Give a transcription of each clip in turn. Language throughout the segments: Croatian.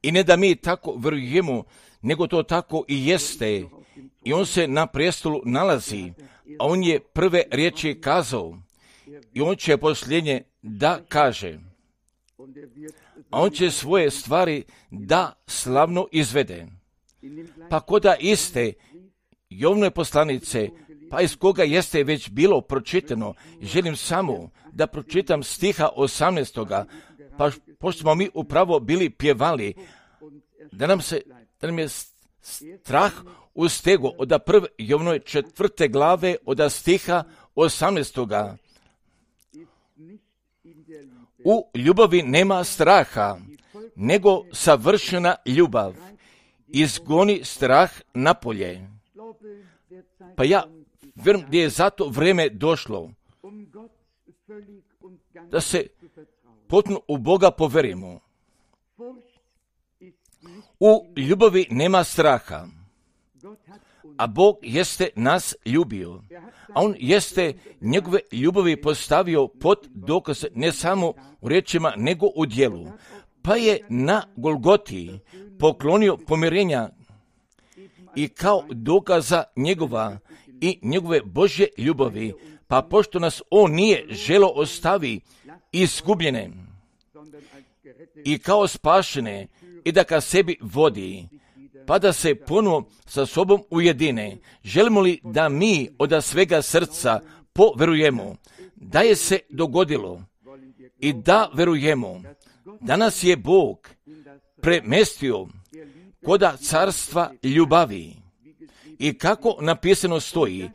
I ne da mi tako vjerujemo, nego to tako i jeste. I on se na prijestolu nalazi, a on je prve riječi kazao. I on će posljednje da kaže. A on će svoje stvari da slavno izvede. Pa koda iste Jovnove poslanice, pa iz koga jeste već bilo pročitano, želim samo da pročitam stiha 18. Pa pošto smo mi upravo bili pjevali, da nam je strah ustego od prve Jovnove 4. glave od stiha 18. U ljubavi nema straha, nego savršena ljubav izgoni strah napolje. Pa ja vjerujem da je zato vrijeme došlo da se potpuno u Boga poverimo. U ljubavi nema straha, a Bog jeste nas ljubio, a On jeste njegove ljubavi postavio pod dokaz ne samo u riječima, nego u djelu. Pa je na Golgoti poklonio pomirenja i kao dokaza njegova i njegove Božje ljubavi, pa pošto nas On nije želo ostavi izgubljene i kao spašene i da ka sebi vodi, pa da se ponovo sa sobom ujedine. Želimo li da mi od svega srca poverujemo da je se dogodilo i da verujemo da nas je Bog premestio koda carstva ljubavi i kako napisano stoji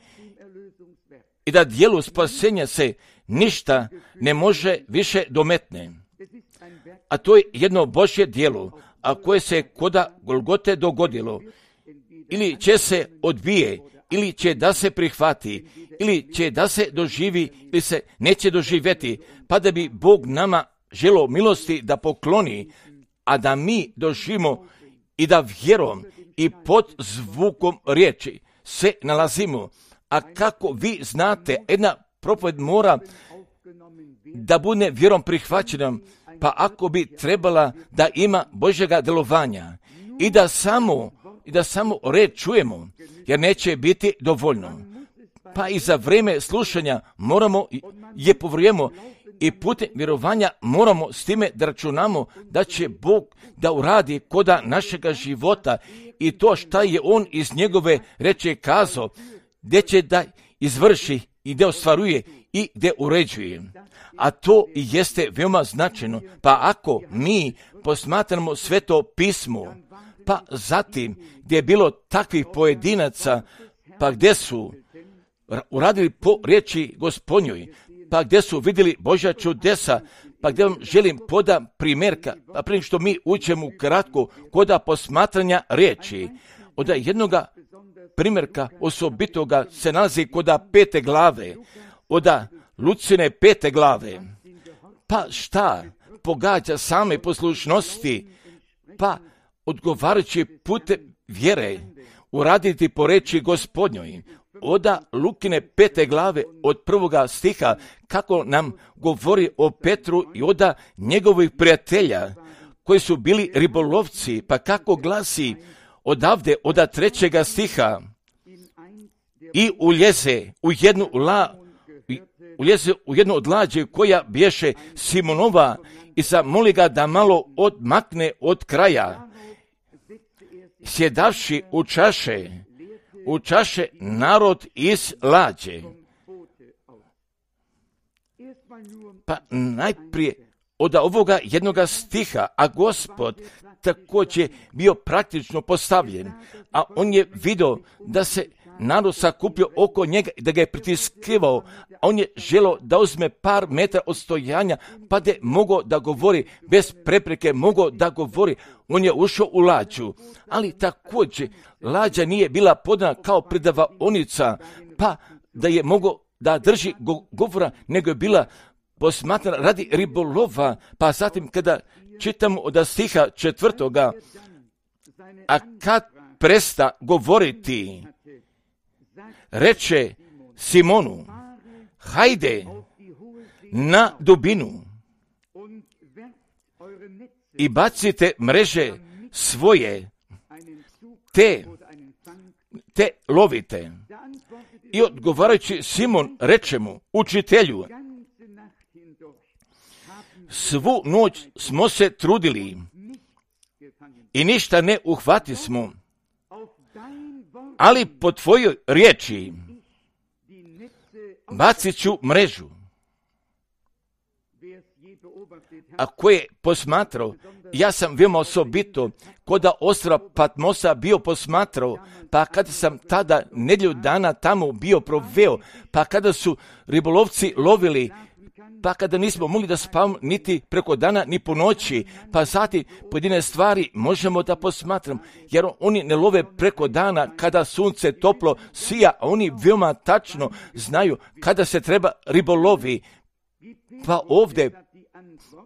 i da dijelu spasenja se ništa ne može više dometne. A to je jedno Božje djelo, a koje se koda Golgote dogodilo. Ili će se odbije, ili će da se prihvati, ili će da se doživi, ili se neće doživjeti, pa da bi Bog nama želo milosti da pokloni, a da mi doživimo i da vjerom i pod zvukom riječi se nalazimo. A kako vi znate, jedna propoved mora da bude vjerom prihvaćena, pa ako bi trebala da ima Božjega djelovanja i da samo red čujemo, jer neće biti dovoljno. Pa i za vrijeme slušanja moramo je povrujemo i putem vjerovanja moramo s time da računamo da će Bog da uradi koda našega života i to šta je On iz njegove reče kazao, gdje će da izvrši i gdje ostvaruje i gdje uređuje. A to i jeste veoma značajno. Pa ako mi posmatramo Sveto pismo, pa zatim gdje je bilo takvih pojedinaca, pa gdje su uradili po riječi Gospodnjoj, pa gdje su vidjeli Božja čudesa, pa gdje vam želim poda primjerka, a prije što mi učemo kratko koda posmatranja riječi, od jednoga primjerka osobitoga se nalazi koda 5. glave, od Lucine 5. glave. Pa šta pogađa same poslušnosti, pa odgovarajući putem vjere uraditi po reči Gospodnjoj. Oda Lukine 5. glave od 1. stiha kako nam govori o Petru i oda njegovih prijatelja koji su bili ribolovci, pa kako glasi odavde od 3. stiha i uljeze u jednu od lađe koja bješe Simonova i zamoli ga da malo odmakne od kraja. Sjedavši u čaše narod iz lađe. Pa najprije od ovoga jednoga stiha, a Gospod također bio praktično postavljen, a on je vidio da se narod sakupio oko njega i da ga je pritiskivao, a on je želio da uzme par metara odstojanja, pa da je mogao da govori, bez prepreke mogao da govori. On je ušao u lađu, ali također lađa nije bila podana kao predavaonica, pa da je mogao da drži govora, nego je bila posmatrana radi ribolova. Pa zatim kada čitamo od stiha 4. a kad presta govoriti, reče Simonu, hajde na dubinu i bacite mreže svoje, te lovite. I odgovarajući Simon reče mu, učitelju, svu noć smo se trudili i ništa ne uhvatismo, ali po tvojoj riječi bacit ću mrežu. A ko je posmatrao, ja sam veoma osobito koda ostrva Patmosa bio posmatrao, pa kada sam tada nedjelju dana tamo bio proveo, pa kada su ribolovci lovili, pa kada nismo mogli da spavamo niti preko dana, ni po noći, pa zatim pojedine stvari možemo da posmatramo, jer oni ne love preko dana kada sunce toplo sija, a oni veoma tačno znaju kada se treba ribolovi. Pa ovdje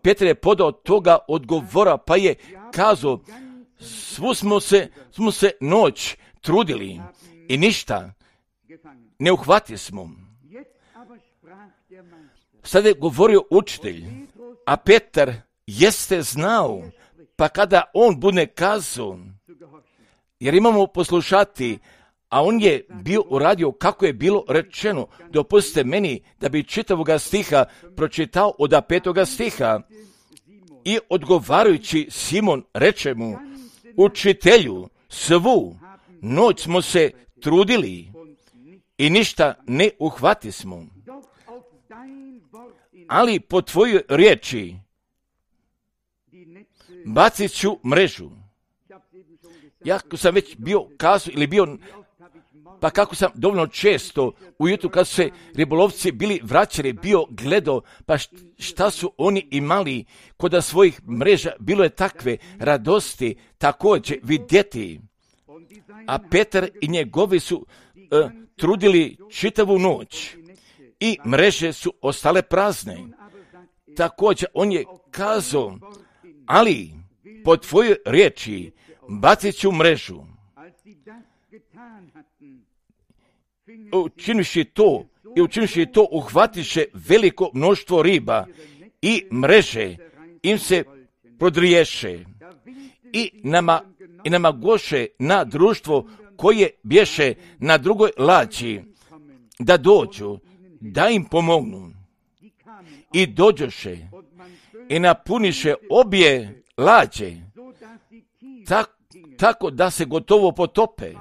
Petar je podao toga odgovora, pa je kazao, svu smo se noć trudili i ništa ne uhvatismo. Sada je govorio učitelj, a Petar jeste znao, pa kada on bude kazao, jer imamo poslušati, a on je bio uradio kako je bilo rečeno. Dopustite meni da bi čitavoga stiha pročitao od 5. stiha. I odgovarajući Simon reče mu, učitelju, svu noć smo se trudili i ništa ne uhvatismo, ali po tvojoj riječi bacit ću mrežu. Jako sam već bio kazao ili bio, pa kako sam dovoljno često ujutru kad su se ribolovci bili vraćali, bio gledao, pa šta su oni imali kod svojih mreža, bilo je takve radosti također vidjeti. A Petar i njegovi su trudili čitavu noć i mreže su ostale prazne. Također on je kazao, ali po tvojoj riječi bacit ću mrežu. Učinivši to uhvatiše veliko mnoštvo riba i mreže im se prodriješe i namagoše na društvo koje bješe na drugoj lađi da dođu, da im pomognu. I dođoše i napuniše obje lađe tako da se gotovo potope.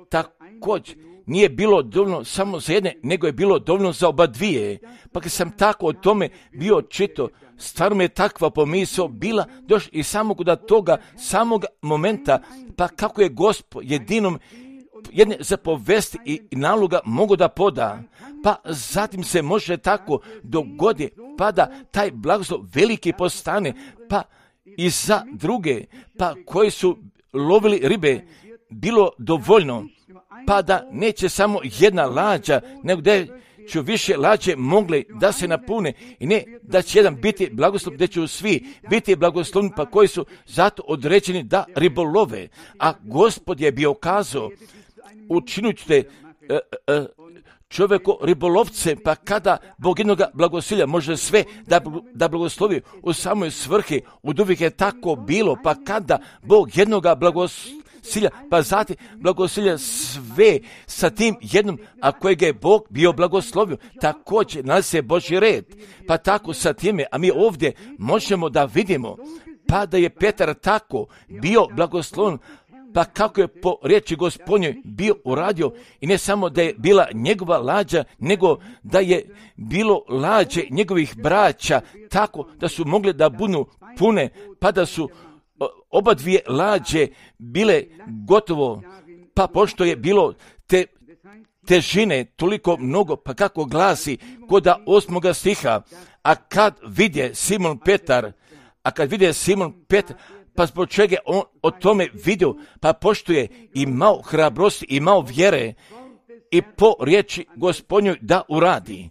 Također nije bilo dovoljno samo za jedne, nego je bilo dovoljno za oba dvije. Pa kad sam tako o tome bio čito, stvarno mi je takva pomisao bila došla i samo kod toga samog momenta, pa kako je Gospod jedinom jedne zapovesti i naloga mogu da poda, pa zatim se može tako dogodi, pa da taj blagoslov veliki postane, pa i za druge, pa koji su lovili ribe, bilo dovoljno, pa da neće samo jedna lađa, nego da će više lađe mogli da se napune i ne da će jedan biti blagoslov, da će svi biti blagoslovni, pa koji su zato određeni da ribolove. A Gospod je bio kazao, učinit ćete čovjeko ribolovce, pa kada Bog jednoga blagosilja može sve da blagoslovi u samoj svrhi, od uvijek je tako bilo, pa kada Bog jednoga blagosilja, pa zatim blagosilja sve sa tim jednom, a kojeg je Bog bio blagoslovio, također nalazi se Božji red, pa tako sa time, a mi ovdje možemo da vidimo, pa da je Petar tako bio blagosloven, pa kako je po riječi Gospodnjoj bio uradio i ne samo da je bila njegova lađa, nego da je bilo lađe njegovih braća tako da su mogle da budu pune, pa da su oba dvije lađe bile gotovo, pa pošto je bilo te težine toliko mnogo, pa kako glasi koda 8. stiha, a kad vidje Simon Petar, pa zbog čega on o tome vidio, pa pošto je imao hrabrosti, imao vjere i po riječi Gospodnjoj da uradi.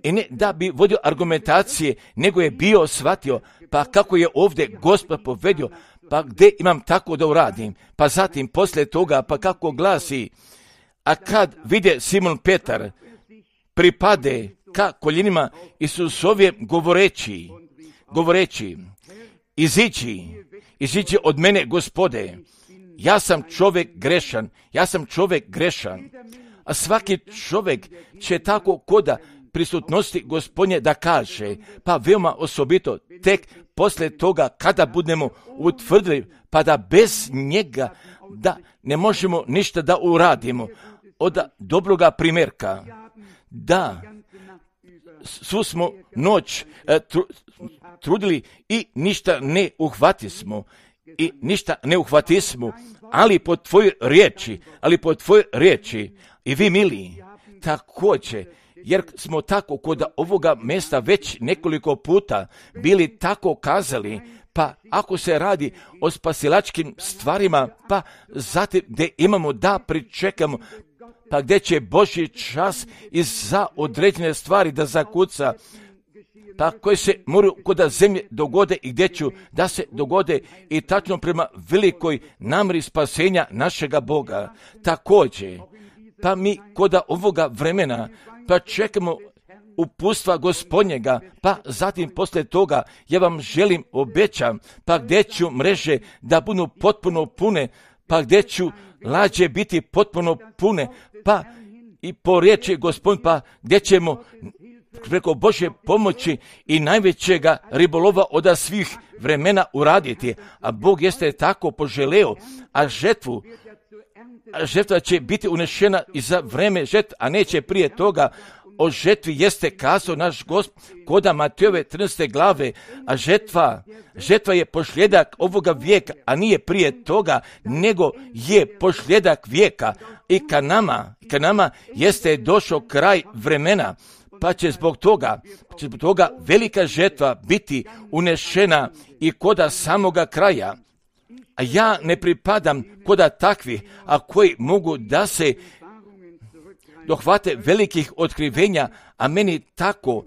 I ne da bi vodio argumentacije, nego je bio shvatio, pa kako je ovdje Gospod povedio, pa gdje imam tako da uradim. Pa zatim poslije toga, pa kako glasi, a kad vidje Simon Petar, pripade ka koljenima Isusovje govoreći, iziđi od mene, Gospode, ja sam čovjek grešan, a svaki čovjek će tako koda prisutnosti Gospodnje da kaže, pa veoma osobito tek poslije toga kada budemo utvrdili, pa da bez njega da ne možemo ništa da uradimo, od dobroga primjerka, da svu smo noć trudili i ništa ne uhvatismo, ali po tvojoj riječi, i vi mili, također, jer smo tako kod ovoga mjesta već nekoliko puta bili tako kazali, pa ako se radi o spasilačkim stvarima, pa zatim gdje imamo da pričekamo, pa gdje će Božji čas i za određene stvari da zakuca, pa koje se moraju kod zemlje dogode i gdje ću da se dogode i tačno prema velikoj namjeri spasenja našega Boga. Također, pa mi kod ovoga vremena pa čekamo uputstva Gospodnjega, pa zatim poslije toga ja vam želim, obećam, pa gdje ću mreže da budu potpuno pune, pa gdje ću lađe biti potpuno pune, pa i po riječi Gospodin, pa gdje ćemo preko Božje pomoći i najvećega ribolova od svih vremena uraditi, a Bog jeste tako poželeo, a žetva će biti unešena i za vreme žetve, a neće prije toga. O žetvi jeste kazao naš Gospod koda Matejove 13. glave, a žetva je posljedak ovoga vijeka, a nije prije toga, nego je posljedak vijeka. I ka nama jeste došao kraj vremena, pa će zbog toga velika žetva biti unešena i koda samoga kraja. A ja ne pripadam koda takvih, a koji mogu da se dohvate velikih otkrivenja, a meni tako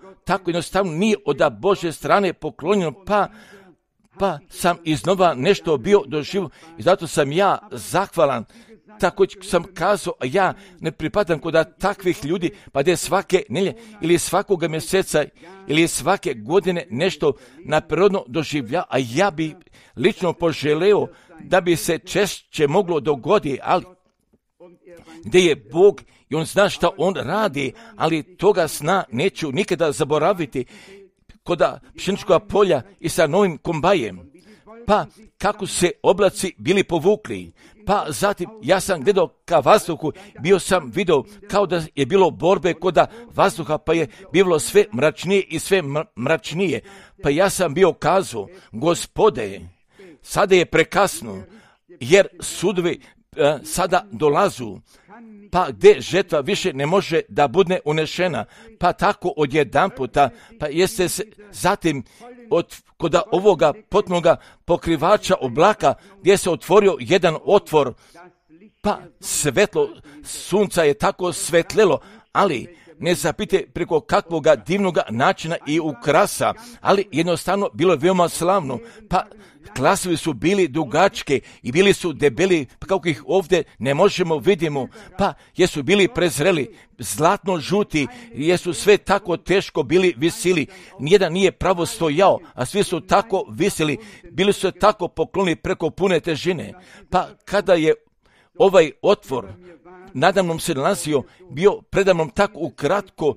jednostavno nije od Božje strane poklonjeno, pa sam iznova nešto bio doživio i zato sam ja zahvalan. Tako sam kazao, a ja ne pripadam kod takvih ljudi, pa da je svake nelje ili svakoga mjeseca ili svake godine nešto naprirodno doživlja, a ja bi lično poželeo da bi se češće moglo dogoditi, ali gdje je Bog i on zna šta on radi, ali toga sna neću nikada zaboraviti kod pšeničkog polja i sa novim kombajem. Pa kako se oblaci bili povukli, pa zatim ja sam gledao ka vazduhu, bio sam vidio kao da je bilo borbe kod vazduha, pa je bilo sve mračnije i sve mračnije. Pa ja sam bio kazao, Gospode, sada je prekasno, jer sudovi sada dolazu, pa gdje žetva više ne može da bude unešena, pa tako odjedanputa, pa jeste se zatim kod ovoga potpunoga pokrivača oblaka gdje se otvorio jedan otvor, pa svetlo sunca je tako svetlelo, ali ne zapite preko kakvoga divnoga načina i ukrasa, ali jednostavno bilo je veoma slavno, pa glasovi su bili dugačke i bili su debeli, pa kako ih ovdje ne možemo vidimo, pa jesu bili prezreli, zlatno žuti, jesu sve tako teško bili visili, nijedan nije pravo stojao, a svi su tako visili, bili su tako poklonili preko pune težine, pa kada je ovaj otvor nadamnom se nalazio, bio predamnom tako ukratko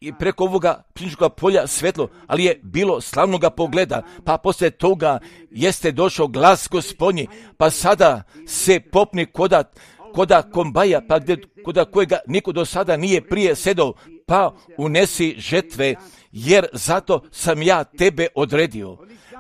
i preko ovoga pšeničkog polja svetlo, ali je bilo slavnoga pogleda, pa poslije toga jeste došao glas Gospodnji, pa sada se popni koda kombaja, pa koda kojega niko do sada nije prije sedao, pa unesi žetve, jer zato sam ja tebe odredio.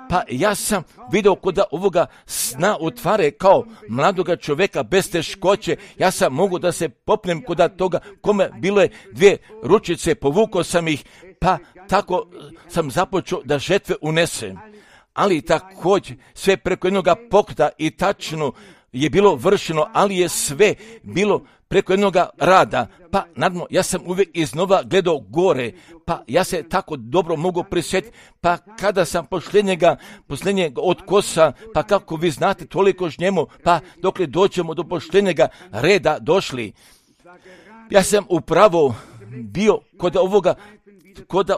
Pa ja sam vidio kod ovoga sna utvare kao mladoga čovjeka bez teškoće, ja sam mogu da se popnem kod toga kome bilo je 2 ručice, povukao sam ih, pa tako sam započeo da žetve unesem. Ali također sve preko jednoga pokreta i tačno je bilo vršeno, ali je sve bilo preko jednoga rada, pa nadmo ja sam uvijek iznova gledao gore, pa ja se tako dobro mogu prisjetiti, pa kada sam posljednjega od kosa, pa kako vi znate toliko žnjemo, pa dokle dođemo do posljednjega reda došli. Ja sam upravo bio kod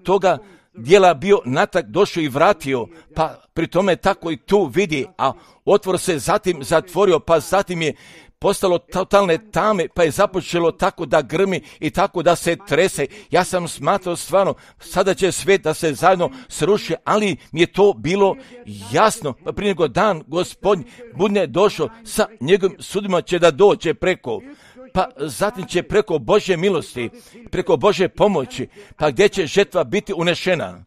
toga dijela bio natrag došao i vratio, pa pri tome tako i tu vidi, a otvor se zatim zatvorio, pa zatim je postalo totalne tame, pa je započelo tako da grmi i tako da se trese. Ja sam smatrao stvarno, sada će svijet da se zajedno sruši, ali mi je to bilo jasno. Pa prije nego dan Gospod bude došao sa njegovim sudima će da dođe preko. Pa zatim će preko Božje milosti, preko Božje pomoći, pa gdje će žetva biti unešena.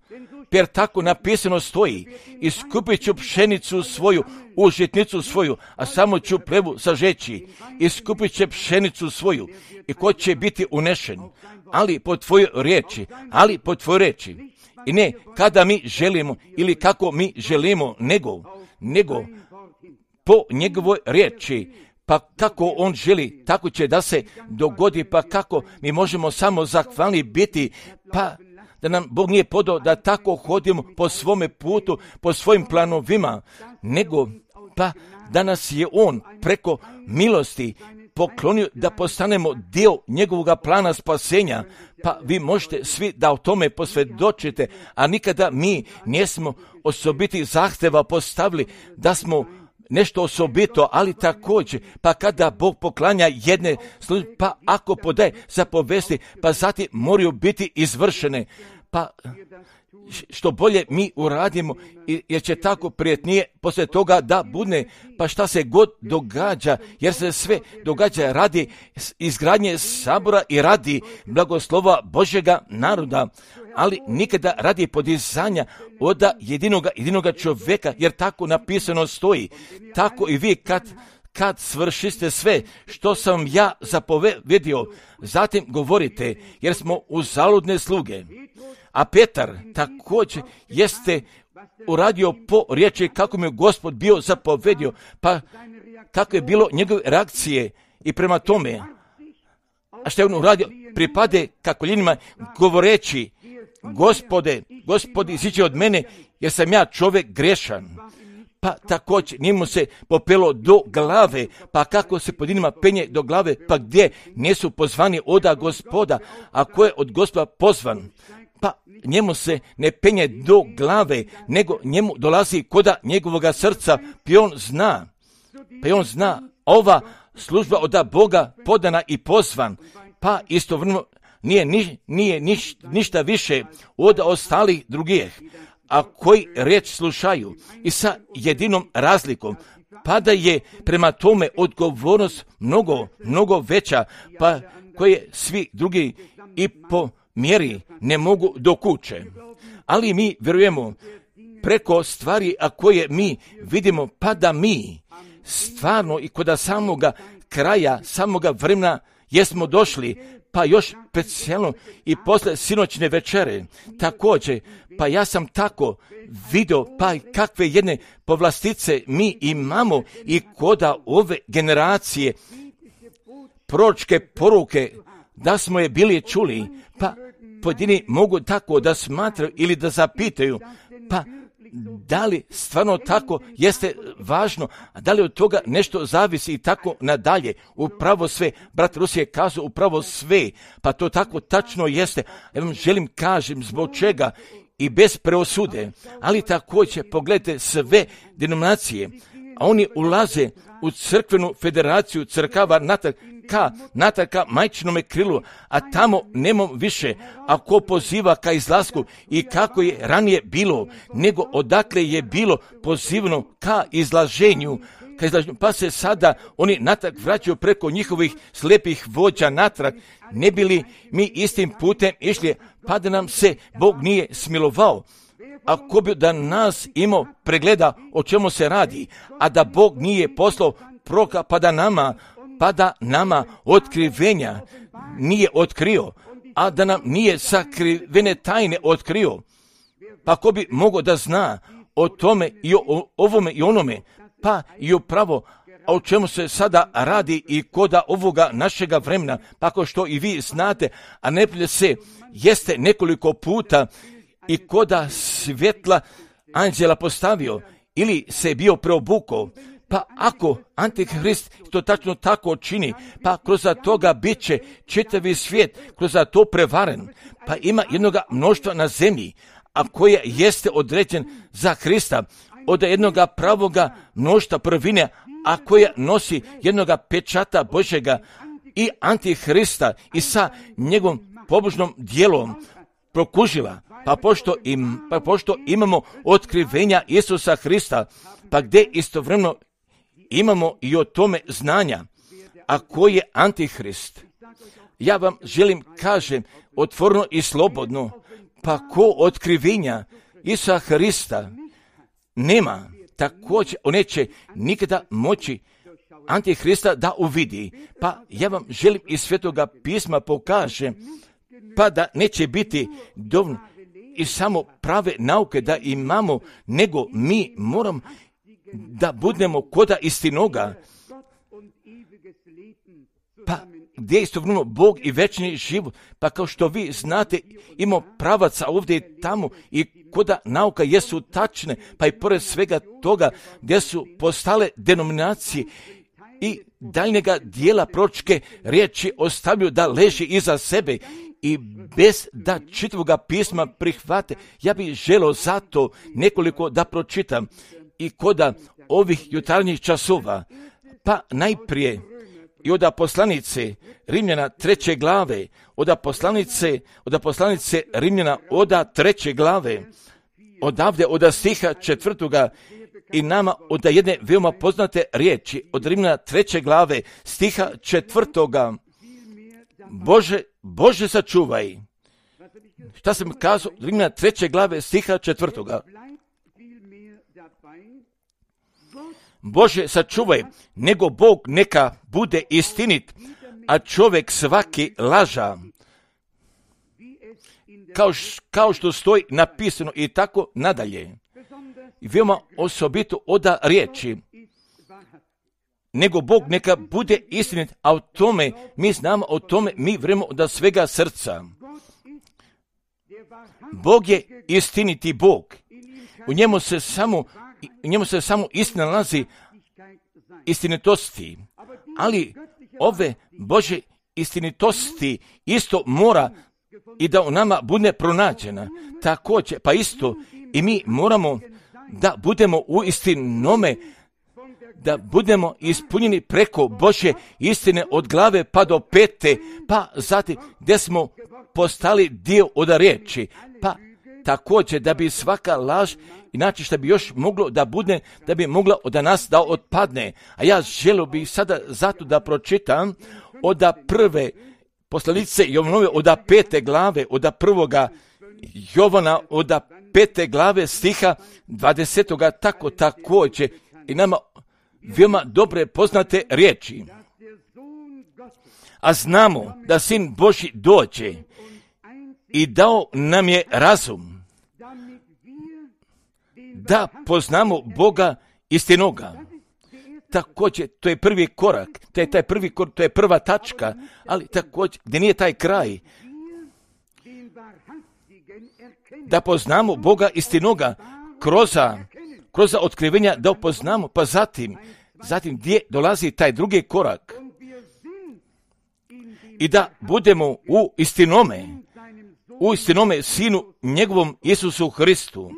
Jer tako napisano stoji, iskupit ću pšenicu svoju, u žitnicu svoju, a samo ću plevu sažeći. Iskupit će pšenicu svoju i ko će biti unešen, ali po tvojoj riječi, I ne kada mi želimo ili kako mi želimo, nego po njegovoj riječi. Pa kako on želi, tako će da se dogodi, pa kako mi možemo samo zahvalni biti, pa da nam Bog nije podao da tako hodimo po svome putu, po svojim planovima, nego pa da nas je on preko milosti poklonio da postanemo dio njegovog plana spasenja, pa vi možete svi da o tome posvjedočite, a nikada mi nismo osobiti zahtjeva postavili da smo nešto osobito, ali također, pa kada Bog poklanja jedne službe, pa ako podaje zapovesti, pa zatim moraju biti izvršene, pa što bolje mi uradimo, jer će tako prijetnije poslije toga da bude, pa šta se god događa, jer se sve događa radi izgradnje sabora i radi blagoslova Božjega naroda, ali nikada radi podizanja od jedinoga čovjeka, jer tako napisano stoji. Tako i vi kad svršiste sve što sam ja zapovedio, zatim govorite, jer smo uzaludne sluge. A Petar također jeste uradio po riječi kako mi je Gospod bio zapovedio, pa kako je bilo njegove reakcije i prema tome. A što je on uradio? Pripade ka koljenima govoreći, Gospodi, iziđi od mene, jer sam ja čovjek grešan. Pa također njemu se popelo do glave, pa kako se pod njima penje do glave, pa gdje nisu pozvani oda Gospoda, a ko je od Gospoda pozvan? Pa njemu se ne penje do glave, nego njemu dolazi koda njegovoga srca, pa on zna, ova služba od Boga podana i pozvan, pa istovremeno nije ništa više od ostalih drugih, a koji riječ slušaju i sa jedinom razlikom, pa da je prema tome odgovornost mnogo veća, pa koje svi drugi i po mjeri ne mogu dokuće. Ali mi vjerujemo preko stvari, a koje mi vidimo, pa da mi stvarno i kod samoga kraja, samoga vremena jesmo došli, pa još specijalno i posle sinoćne večere. Također, pa ja sam tako vidio, pa kakve jedne povlastice mi imamo i koda ove generacije proročke poruke, da smo je bili čuli, pa pojedini mogu tako da smatraju ili da zapitaju, pa da li stvarno tako jeste važno, a da li od toga nešto zavisi i tako nadalje. Upravo sve, brat Rus je kazao upravo sve, pa to tako tačno jeste. Ja vam želim kažem zbog čega i bez preosude, ali također pogledajte sve denominacije, a oni ulaze u crkvenu federaciju crkava natrag ka majčinome krilu, a tamo nemam više, a ko poziva ka izlasku i kako je ranije bilo, nego odakle je bilo pozivno ka izlaženju, pa se sada oni natrag vraćaju preko njihovih slijepih vođa natrag, ne bili mi istim putem išli, pa da nam se Bog nije smilovao. Ako bi da nas imao pregleda o čemu se radi, a da Bog nije poslao proroka pa da nama otkrivenja nije otkrio, a da nam nije sakrivene tajne otkrio, pa ko bi mogao da zna o tome i o ovome i onome, pa i upravo o čemu se sada radi i koda ovoga našega vremena, pa kao što i vi znate, a ne se jeste nekoliko puta i koda svjetla anđela postavio ili se bio preobukao, pa ako Antihrist to tačno tako čini, pa kroz toga bit će čitavi svijet kroz to prevaren, pa ima jednoga mnoštva na zemlji, a koja jeste određen za Hrista, od jednoga pravoga mnoštva prvine, a koja nosi jednoga pečata Božjega i Antihrista i sa njegovom pobožnom djelom prokužila. Pa pošto imamo otkrivenja Isusa Hrista, pa gdje istovremeno imamo i o tome znanja, a koji je Antihrist. Ja vam želim kažem otvoreno i slobodno, pa ko otkrivenja Isusa Hrista nema, također on neće nikada moći Antihrista da uvidi. Pa ja vam želim iz Svetoga pisma pokažem, pa da neće biti dovoljno i samo prave nauke da imamo, nego mi moramo da budemo koda istinoga, pa gdje je istovremeno Bog i večni život, pa kao što vi znate, imamo pravaca ovdje i tamo i koda nauka jesu tačne, pa i pored svega toga gdje su postale denominacije i daljnjega dijela proročke riječi ostavljaju da leži iza sebe i bez da čitavoga pisma prihvate. Ja bih želio zato nekoliko da pročitam i koda ovih jutarnjih časova, pa najprije i od poslanice Rimljana 3. glave, od poslanice Rimljana od 3. glave, odavde od stiha 4. i nama od jedne veoma poznate riječi, od Rimljana 3. glave, stiha 4. Bože sačuvaj. Šta sam kazao? Rimljana 3. glave, stiha 4. Bože sačuvaj, nego Bog neka bude istinit, a čovjek svaki laža. Kao što stoji napisano i tako nadalje. I veoma osobito oda riječi. Nego Bog neka bude istinit, a o tome mi znamo, o tome mi vremo od svega srca. Bog je istiniti Bog. U njemu se samo istina nalazi, istinitosti. Ali ove Bože istinitosti isto mora i da u nama bude pronađena. Također, pa isto i mi moramo da budemo u istinome, da budemo ispunjeni preko Božje istine od glave pa do pete, pa zatim gdje smo postali dio od riječi, pa također da bi svaka laž, inače što bi još moglo da bude, da bi mogla od nas da otpadne. A ja želio bih sada zato da pročitam od prve poslanice Jovanove od 5. glave, od 1. Jovana od 5. glave stiha 20. tako također i nama veoma dobre poznate riječi. A znamo da Sin Božji dođe i dao nam je razum da poznamo Boga istinoga. Također, to je prvi korak, to je prva tačka, ali također, gdje nije taj kraj, da poznamo Boga istinoga kroz otkrivenja, da upoznamo, pa zatim gdje dolazi taj drugi korak i da budemo u istinome Sinu njegovom Isusu Hristu.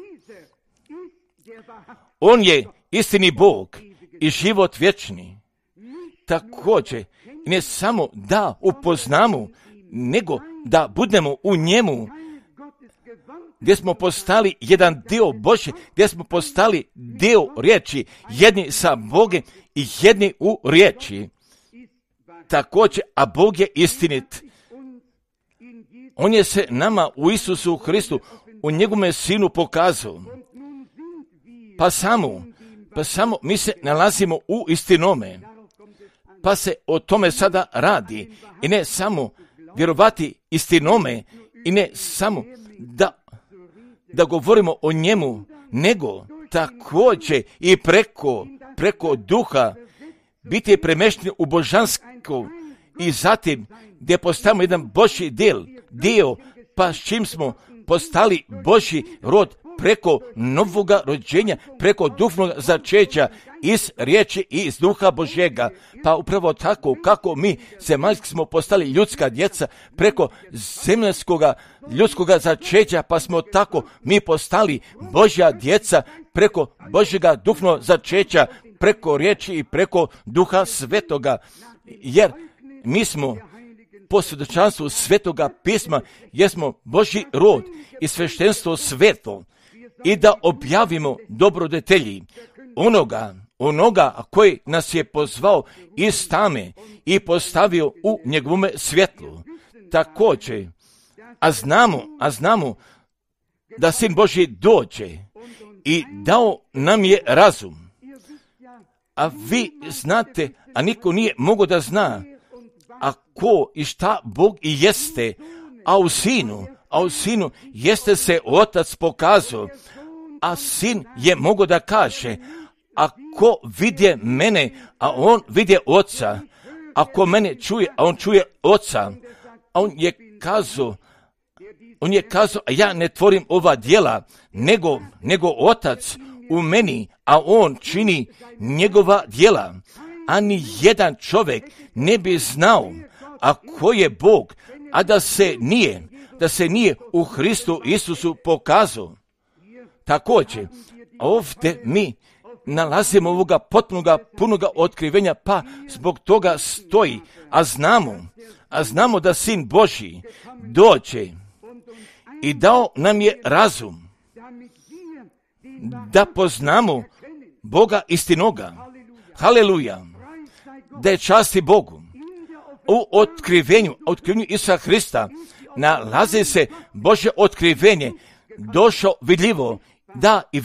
On je istini Bog i život vječni. Također, ne samo da upoznamo, nego da budemo u njemu, gdje smo postali jedan dio Božje, gdje smo postali dio riječi, jedni sa Bogom i jedni u riječi. Također, a Bog je istinit. On je se nama u Isusu Hristu, u njegovome Sinu pokazao. Pa samo mi se nalazimo u istinome. Pa se o tome sada radi. I ne samo vjerovati istinome, i ne samo da govorimo o njemu, nego također i preko duha biti premješteni u božansko i zatim gdje postavimo jedan Božji dio, pa s čim smo postali Božji rod, preko novoga rođenja, preko duhovnog začeća iz riječi i iz duha Božjega. Pa upravo tako kako mi zemaljski smo postali ljudska djeca preko zemaljskoga ljudskoga začeća, pa smo tako mi postali Božja djeca preko Božjega duhovnog začeća, preko riječi i preko duha svetoga. Jer mi smo po svjedočanstvu svetoga pisma, jer smo Božji rod i sveštenstvo sveto, i da objavimo dobrodetelji onoga koji nas je pozvao iz tame i postavio u njegovome svjetlu. Također, a znamo da Sin Božji dođe i dao nam je razum. A vi znate, a niko nije mogao da zna, a ko i šta Bog i jeste, a u Sinu jeste se Otac pokazao, a Sin je mogao da kaže, ako vidje mene, a on vidje Oca, ako mene čuje, a on čuje Oca, a on je kazao, a ja ne tvorim ova djela, nego Otac u meni, a on čini njegova djela. A ni jedan čovjek ne bi znao, a ko je Bog, a da se nije u Hristu Isusu pokazao. Također, ovdje mi nalazimo ovoga potpunoga, punoga otkrivenja, pa zbog toga stoji, a znamo da Sin Božji dođe i dao nam je razum, da poznamo Boga istinoga. Haleluja! Da je časti Bogu. U otkrivenju Isusa Hrista nalazi se Božje otkrivenje, došao vidljivo, da i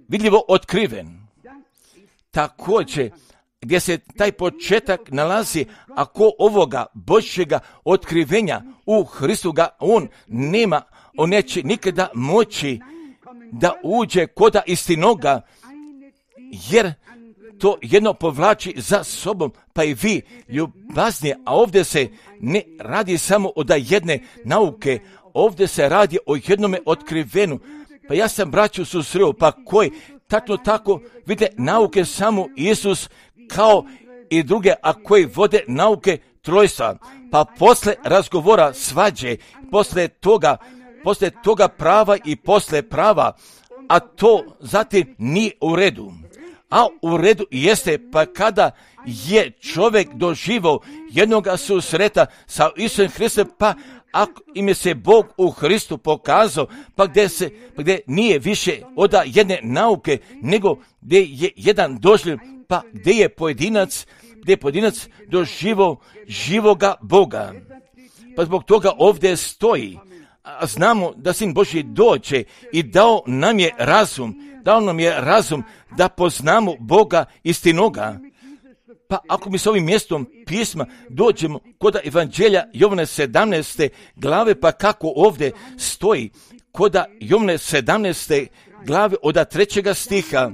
vidljivo otkriven. Također, gdje se taj početak nalazi, ako ovoga Božjega otkrivenja u Hristu ga on neće nikada moći da uđe koda istinoga, jer to jedno povlači za sobom, pa i vi ljubaznije, a ovdje se ne radi samo o da jedne nauke, ovdje se radi o jednome otkrivenu. Pa ja sam braću susreo, pa koji tačno tako vide nauke samo Isus kao i druge, a koji vode nauke trojstva. Pa posle razgovora svađe, posle toga prava i posle prava, a to zatim nije u redu. A u redu jeste, pa kada je čovjek doživao jednoga susreta sa Isusom Hristom, pa ako im je se Bog u Hristu pokazao, pa gdje nije više od jedne nauke, nego gdje je jedan doživio, pa gdje je pojedinac doživao živoga Boga. Pa zbog toga ovdje stoji, a znamo da Sin Božji dođe i dao nam je razum da poznamo Boga istinoga. Pa ako mi s ovim mjestom pisma dođemo kod Evanđelja Jovane 17. glave, pa kako ovdje stoji kod Jovane 17. glave od 3. stiha.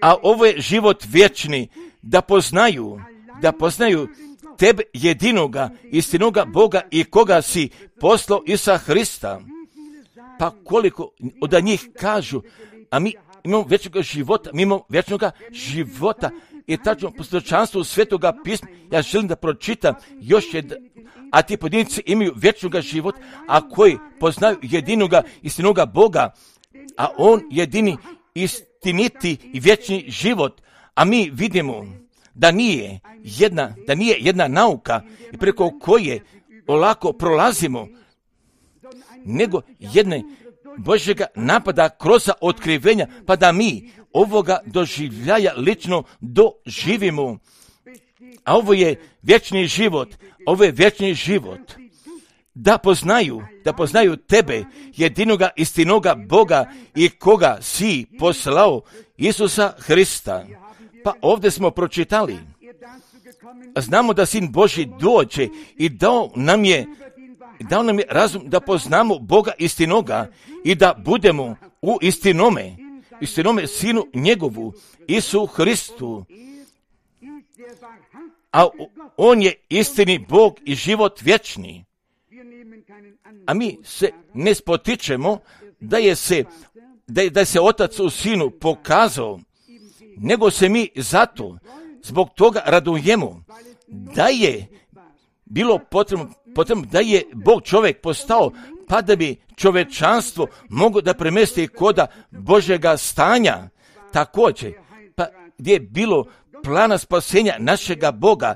A ovo je život vječni, da poznaju tebe jedinoga, istinoga Boga i koga si poslao Isusa Hrista. Pa koliko od njih kažu, a mi imamo vječnog života, i tačno po svjedočanstvu svetoga pisma, ja želim da pročitam još a ti pojedinci imaju vječnog života, a koji poznaju jedinoga istinoga Boga, a on jedini istiniti i vječni život, a mi vidimo da nije jedna nauka preko koje olako prolazimo, nego jedne Božjega napada kroz otkrivenja, pa da mi ovoga doživljaja lično doživimo. A ovo je vječni život, da poznaju tebe, jedinoga istinoga Boga i koga si poslao, Isusa Hrista. Pa ovdje smo pročitali, znamo da Sin Božji dođe i dao nam je razum da poznamo Boga istinoga i da budemo u istinome Sinu njegovu, Isu Hristu. A on je istini Bog i život vječni. a mi se ne spotičemo da se Otac u Sinu pokazao, nego se mi zbog toga radujemo, da je bilo potrebno da je Bog čovjek postao, pa da bi čovečanstvo moglo da premesti koda Božjega stanja. Također, pa gdje je bilo plana spasenja našega Boga,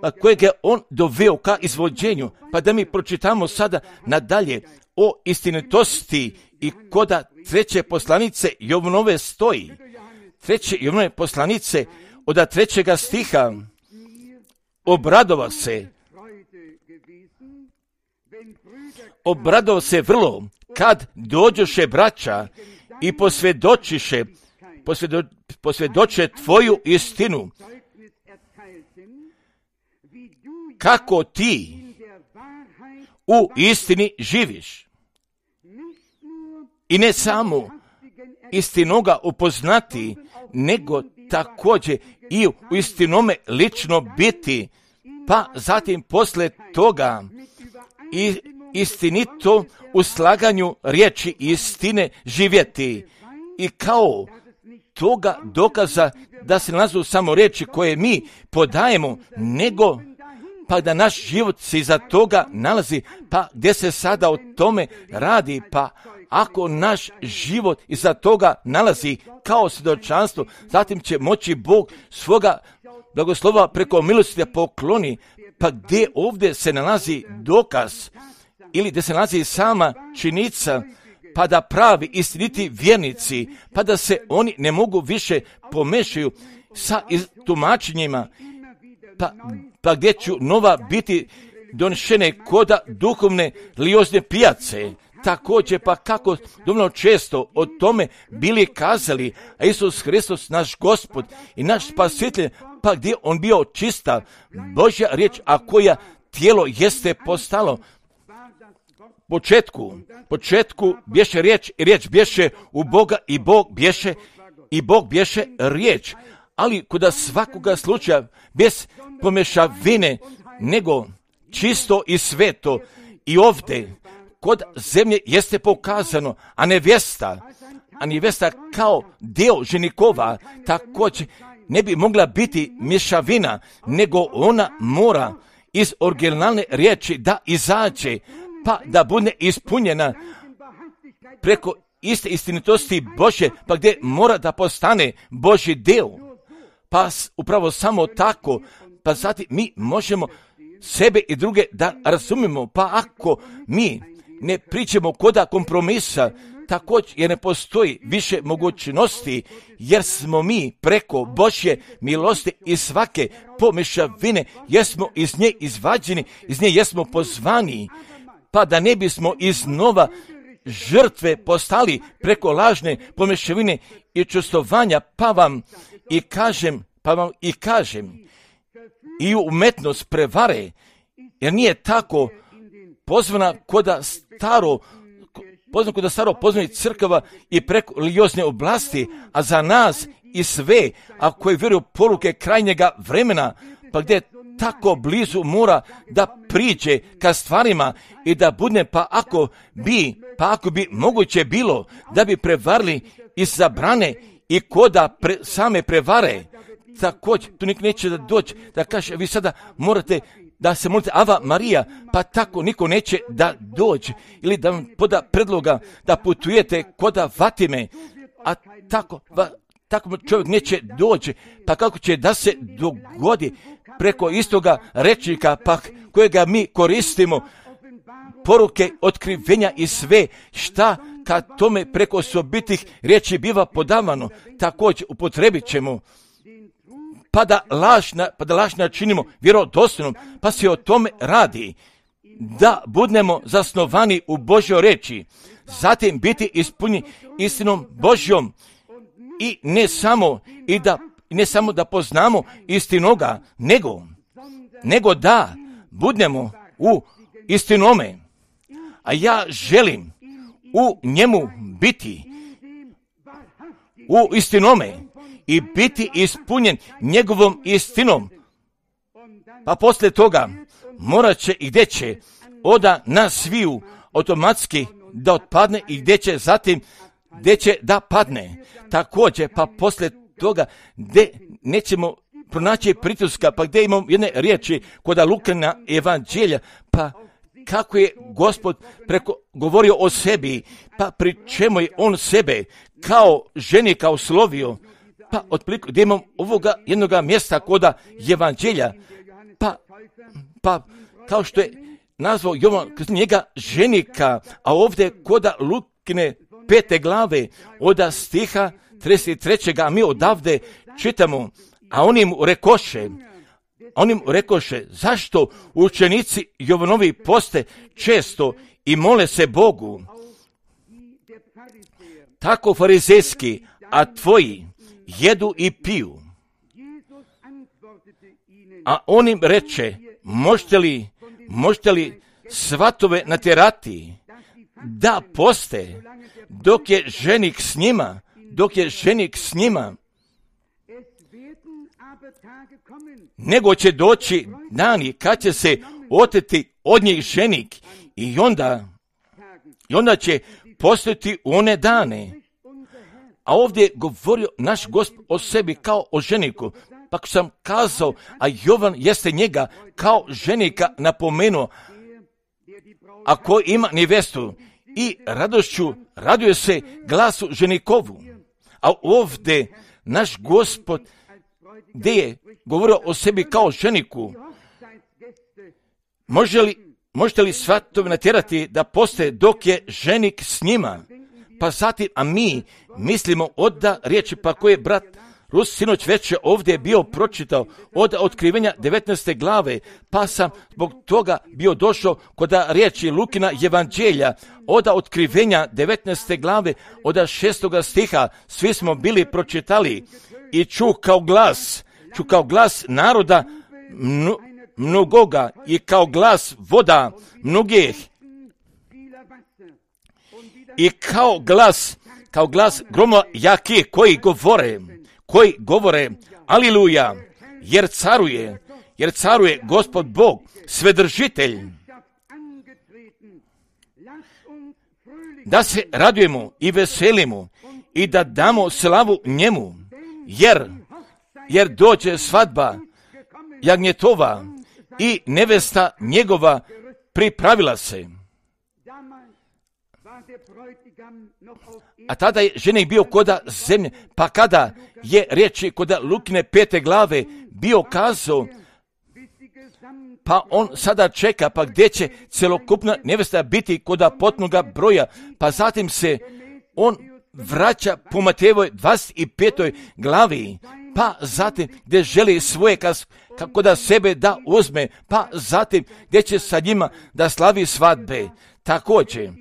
pa kojeg je On doveo ka izvođenju, pa da mi pročitamo sada nadalje o istinitosti i koda 3. poslanice Jovanove stoji. 3. Jovanove poslanice od 3. stiha: obradovao se vrlo kad dođoše braća i posvjedoče tvoju istinu, kako ti u istini živiš. I ne samo istinoga upoznati, nego također i u istinome lično biti, pa zatim posle toga i istinito u slaganju riječi istine živjeti. I kao toga dokaza da se nalazu samo riječi koje mi podajemo, nego pa da naš život se iza toga nalazi, pa gdje se sada o tome radi, pa ako naš život iza toga nalazi kao svjedočanstvo, zatim će moći Bog svoga blagoslova preko milosti da pokloni, pa gdje ovdje se nalazi dokaz ili gdje se nalazi sama činjenica, pa da pravi istiniti vjernici, pa da se oni ne mogu više pomešaju sa tumačenjima, pa gdje ću nova biti donešene koda duhovne liozne pijace. Također, pa kako dovoljno često o tome bili kazali, a Isus Hristos, naš Gospod i naš Spasitelj, pa gdje on bio čista Božja riječ, a koja tijelo jeste postalo. Početku bješe riječ i riječ bješe u Boga i Bog bješe riječ. Ali kod svakoga slučaja bez pomješavine, nego čisto i sveto, i ovdje kod zemlje jeste pokazano, a nevjesta kao dio ženikova također ne bi mogla biti mješavina, nego ona mora iz originalne riječi da izađe, pa da bude ispunjena preko iste istinitosti Božje, pa gdje mora da postane Božji dio. Pa upravo samo tako, pa zatim mi možemo sebe i druge da razumimo, pa ako mi ne pričamo koda kompromisa, također jer ne postoji više mogućnosti, jer smo mi preko Božje milosti i svake pomješavine, jer smo iz nje izvađeni, iz nje jesmo pozvani, pa da ne bismo iznova žrtve postali preko lažne pomješavine i čustovanja, pa vam i kažem, i umetnost prevare, jer nije tako pozvana koda staro poznanih crkava i preko religiozne oblasti, a za nas i sve, a koji vjeruju poruke krajnjega vremena, pa gdje tako blizu mora da priđe ka stvarima i da bude, pa ako bi moguće bilo da bi prevarili i zabrane i koda same prevare, također tu nik neće da doći da kaže vi sada morate da se molite Ava Marija, pa tako niko neće da dođe ili da vam poda predloga da putujete koda Fatime, a tako čovjek neće doći, pa kako će da se dogodi preko istoga rečnika, pa kojega mi koristimo, poruke, otkrivenja i sve šta kad tome preko osobitih riječi biva podavano, također upotrebit ćemo, pa da laž načinimo vjerodostojnom, pa se o tome radi, da budemo zasnovani u Božjoj reči, zatim biti ispunjeni istinom Božjom i ne samo da poznamo istinoga, nego da budemo u istinome, a ja želim u njemu biti u istinome i biti ispunjen njegovom istinom. Pa poslije toga morat će i gdje će oda nas sviju automatski da otpadne i gdje će zatim, gdje će da padne. Također, pa poslije toga, gdje nećemo pronaći prituska, pa gdje imamo jedne riječi kod Lukina evanđelja, pa kako je Gospod govorio o sebi, pa pri čemu je on sebe kao ženika oslovio, pa otprilike gdje imamo ovoga jednoga mjesta kod evanđelja, pa kao što je nazvao Jovan njega ženika, a ovdje kod Lukine 5. glave od stiha 33. a mi odavde čitamo, a oni mu rekoše, zašto učenici Jovanovi poste često i mole se Bogu, tako farizejski, a tvoji jedu i piju. A on im reče, možete li svatove natjerati da poste dok je ženik s njima, nego će doći dani kad će se oteti od njih ženik i onda će postati u one dane. A ovdje je govorio naš Gospod o sebi kao o ženiku. Pa ako sam kazao, a Jovan jeste njega kao ženika napomenuo, ako ima nevestu i radošću raduje se glasu ženikovu. A ovdje naš Gospod gdje je govorio o sebi kao ženiku, možete li svatove natjerati da poste dok je ženik s njima? Pa zatim, a mi mislimo od riječi, pa koje je brat Rus sinoć već ovdje bio pročitao od otkrivenja 19. glave, pa sam zbog toga bio došao kod riječi Lukina evanđelja, od otkrivenja 19. glave, od 6. stiha, svi smo bili pročitali i ču kao glas naroda mnogoga i kao glas voda mnogih i kao glas groma jaki koji govore aliluja, jer caruje Gospod Bog, svedržitelj. Da se radujemo i veselimo i da damo slavu njemu, jer dođe svadba jagnjetova i nevesta njegova pripravila se. A tada je ženik bio koda zemlje, pa kada je riječi koda Lukine 5. glave bio kazao, pa on sada čeka, pa gdje će celokupna nevesta biti koda potpunoga broja, pa zatim se on vraća po Matejevoj 25. glavi, pa zatim gdje želi svoje kako da sebe da uzme, pa zatim gdje će sa njima da slavi svadbe. Također,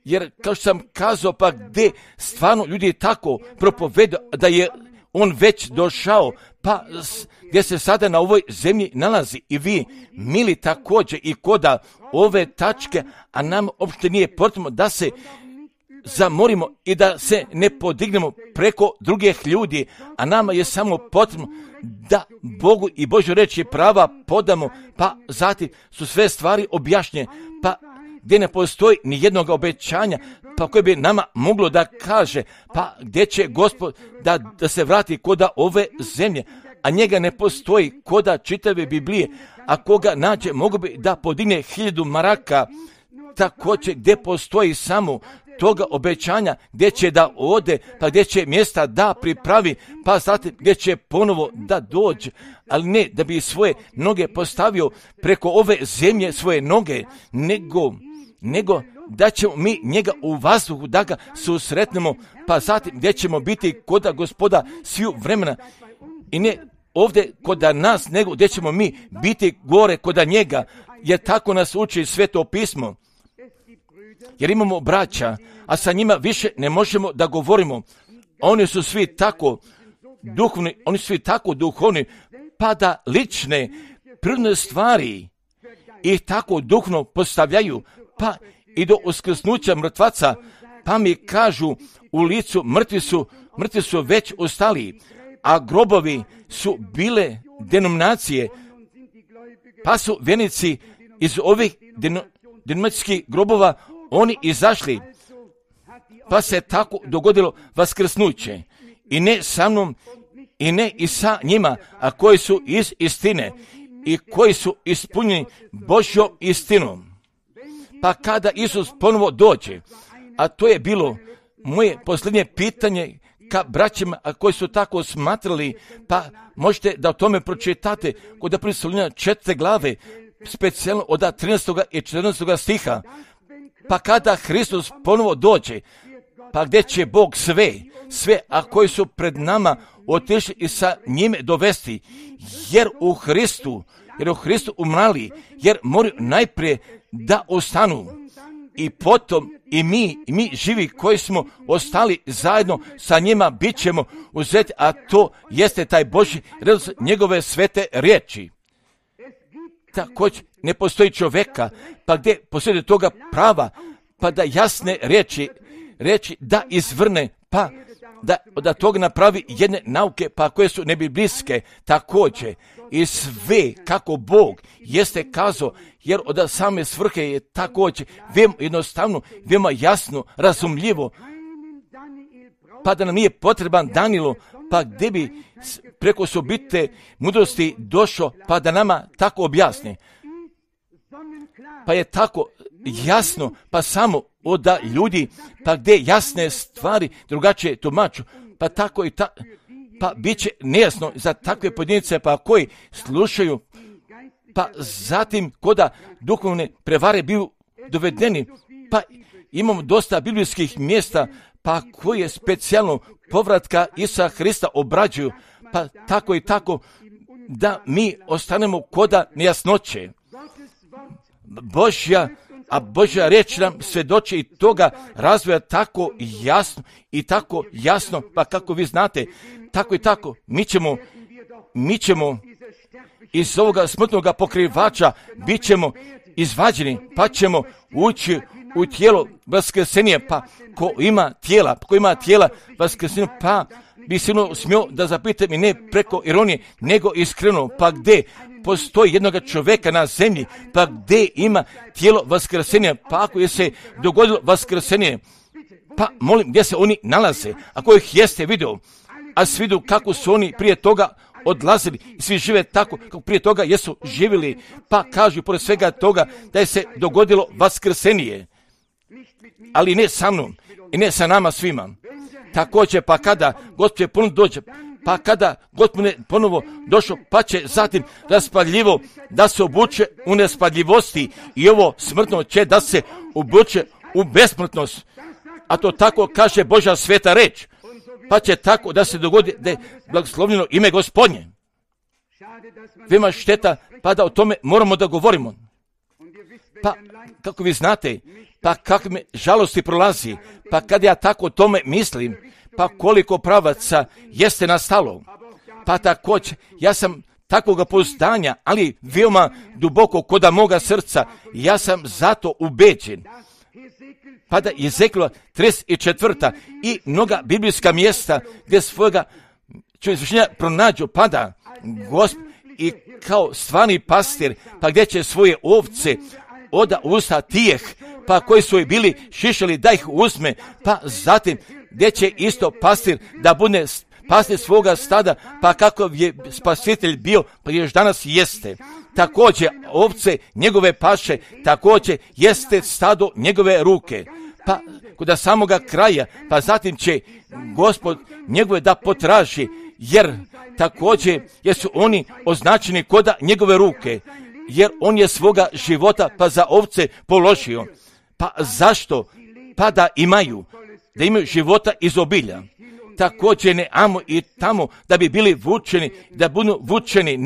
jer kao što sam kazao, pa gdje stvarno ljudi tako propovedu da je on već došao, pa gdje se sada na ovoj zemlji nalazi i vi, mili, također i koda ove tačke, a nam uopšte nije potrebno da se zamorimo i da se ne podignemo preko drugih ljudi, a nama je samo potrebno da Bogu i Božoj riječi prava podamo, pa zatim su sve stvari objašnjene, pa gdje ne postoji ni jednog obećanja, pa koje bi nama moglo da kaže, pa gdje će Gospod da se vrati koda ove zemlje, a njega ne postoji koda čitave Biblije, a koga nađe mogu bi da podigne 1000 maraka, također gdje postoji samo toga obećanja, gdje će da ode, pa gdje će mjesta da pripravi, pa zatim gdje će ponovo da dođe, ali ne da bi svoje noge postavio preko ove zemlje, svoje noge, nego da ćemo mi njega u vazduhu da ga susretnemo, pa zatim gdje ćemo biti koda Gospoda sviju vremena i ne ovdje koda nas, nego gdje ćemo mi biti gore koda njega, jer tako nas uči Sveto pismo. Jer imamo braća, a sa njima više ne možemo da govorimo. Oni su svi tako duhovni, pa da lične, prirodne stvari ih tako duhovno postavljaju, pa i do uskrsnuća mrtvaca, pa mi kažu u licu mrtvi su već ostali, a grobovi su bile denominacije, pa su vjernici iz ovih dinamičkih grobova oni izašli, pa se tako dogodilo vaskrsnuće. I ne sa mnom, i ne i sa njima, a koji su iz istine i koji su ispunjeni Božjom istinom. Pa kada Isus ponovo dođe, a to je bilo moje posljednje pitanje ka braćima, a koji su tako smatrali, pa možete da o tome pročitate kod Apostolina 4. glave, specijalno od 13. i 14. stiha. Pa kada Hristos ponovo dođe, pa gdje će Bog sve, a koji su pred nama otišli i sa njime dovesti, jer u Hristu umrali, jer moraju najprije da ostanu. I potom i mi živi koji smo ostali zajedno sa njima bit ćemo uzeti, a to jeste taj Božji redoslijed njegove svete riječi. Također ne postoji čovjeka, pa gdje postoji toga prava, pa da jasne riječi da izvrne, pa da toga napravi jedne nauke, pa koje su nebiblijske također. I sve kako Bog jeste kazao, jer od same svrhe je također veoma jednostavno, veoma jasno, razumljivo, pa da nam nije potreban Danilo, pa gdje bi preko osobite mudrosti došao, pa da nama tako objasni. Pa je tako jasno, pa samo od ljudi, pa gdje jasne stvari drugačije tumaču, pa tako i pa bit će nejasno za takve pojedince, pa koji slušaju, pa zatim koda duhovne prevare biju dovedeni, pa imamo dosta biblijskih mjesta, pa koje specijalno povratka Isusa Hrista obrađuju, pa tako i tako da mi ostanemo koda nejasnoće. Božja riječ nam svjedoči i toga razvoja tako jasno, pa kako vi znate, tako i tako, mi ćemo iz ovoga smrtnoga pokrivača bit ćemo izvađeni, pa ćemo ući u tijelo vaskrsenja, pa ko ima tijela vaskrsenja, pa bi sigurno smio da zapite mi ne preko ironije, nego iskreno, pa gdje postoji jednoga čovjeka na zemlji, pa gdje ima tijelo vaskrsenja, pa ako je se dogodilo vaskrsenje, pa molim gdje se oni nalaze, ako ih jeste video, a svi vidu kako su oni prije toga odlazili i svi žive tako kako prije toga jesu živjeli, pa kažu pored svega toga da je se dogodilo vaskrsenje, ali ne sa mnom i ne sa nama svima. Također, pa kada Gospod ponovo dođe, pa kada Gospod ponovo došao, pa će zatim raspaljivo da se obuče u nespaljivosti i ovo smrtno će da se obuče u besmrtnost. A to tako kaže Božja sveta reč, pa će tako da se dogodi da je blagoslovljeno ime Gospodnje. Veoma šteta, pa da o tome moramo da govorimo. Pa, kako vi znate, pa kakve me žalosti prolazi, pa kad ja tako o tome mislim, pa koliko pravaca jeste nastalo. Pa također, ja sam takvoga pouzdanja, ali veoma duboko koda moga srca, ja sam zato ubeđen. Pa da Jezekijela 34. i mnoga biblijska mjesta gdje svojega izvršenja pronađu, pa da Gospod i kao stvarni pastir, pa gdje će svoje ovce od usta tijeh, pa koji su bili šišali da ih uzme, pa zatim gdje će isto pastir da bude pastir svoga stada, pa kako je spasitelj bio, pa još danas jeste. Također ovce njegove paše, također jeste stado njegove ruke. Pa kod samoga kraja, pa zatim će Gospod njegove da potraži, jer također jesu oni označeni koda njegove ruke, jer on je svoga života pa za ovce položio. Pa zašto? Pa da imaju života iz obilja. Također ne amo i tamo da bi bili vučeni, da budu vučeni,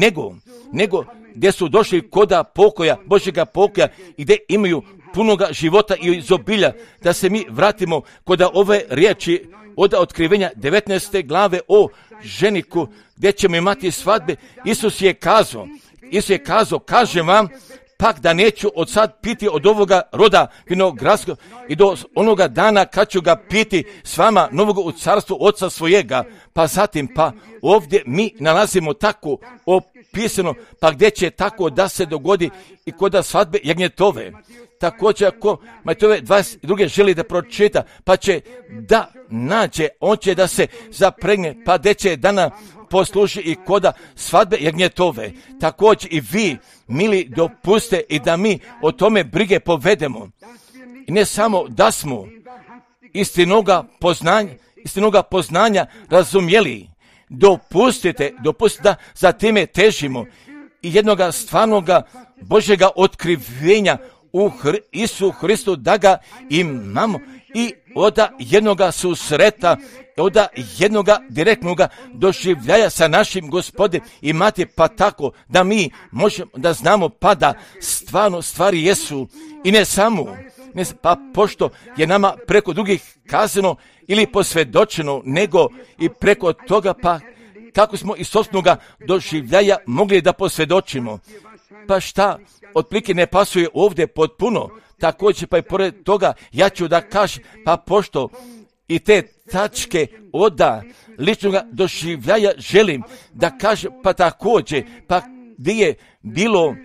nego gdje su došli koda pokoja, Božjega pokoja i gdje imaju punoga života i iz obilja, da se mi vratimo koda ove riječi od otkrivenja 19. glave o ženiku, gdje ćemo imati svadbe. Isus je kazao, kažem vam, pak da neću od sad piti od ovoga roda vinogradskog i do onoga dana kad ću ga piti s vama novog u carstvu oca svojega. Pa zatim, pa ovdje mi nalazimo tako pisano, pa gdje će tako da se dogodi i kod svadbe jagnjetove. Također ako Matejove 22. želi da pročita, pa će da nađe, on će da se zapregne, pa gdje će dana posluži i koda svadbe jagnjetove. Također i vi, mili, dopuste i da mi o tome brige povedemo. I ne samo da smo istinoga poznanja razumjeli. Dopustite da za time težimo i jednoga stvarnoga Božjega otkrivenja u Isu Hristu da ga imamo i od jednoga susreta, od jednoga direktnoga doživljaja sa našim Gospodem imati, pa tako da mi možemo da znamo pa da stvarno stvari jesu i ne samo, pa pošto je nama preko drugih kazano ili posvjedočeno, nego i preko toga pa kako smo iz sopstvenoga doživljaja mogli da posvjedočimo. Pa šta otprilike ne pasuje ovdje potpuno, također pa i pored toga ja ću da kažem, pa pošto i te tačke od ličnog doživljaja želim da kažem, pa također, pa gdje je bilo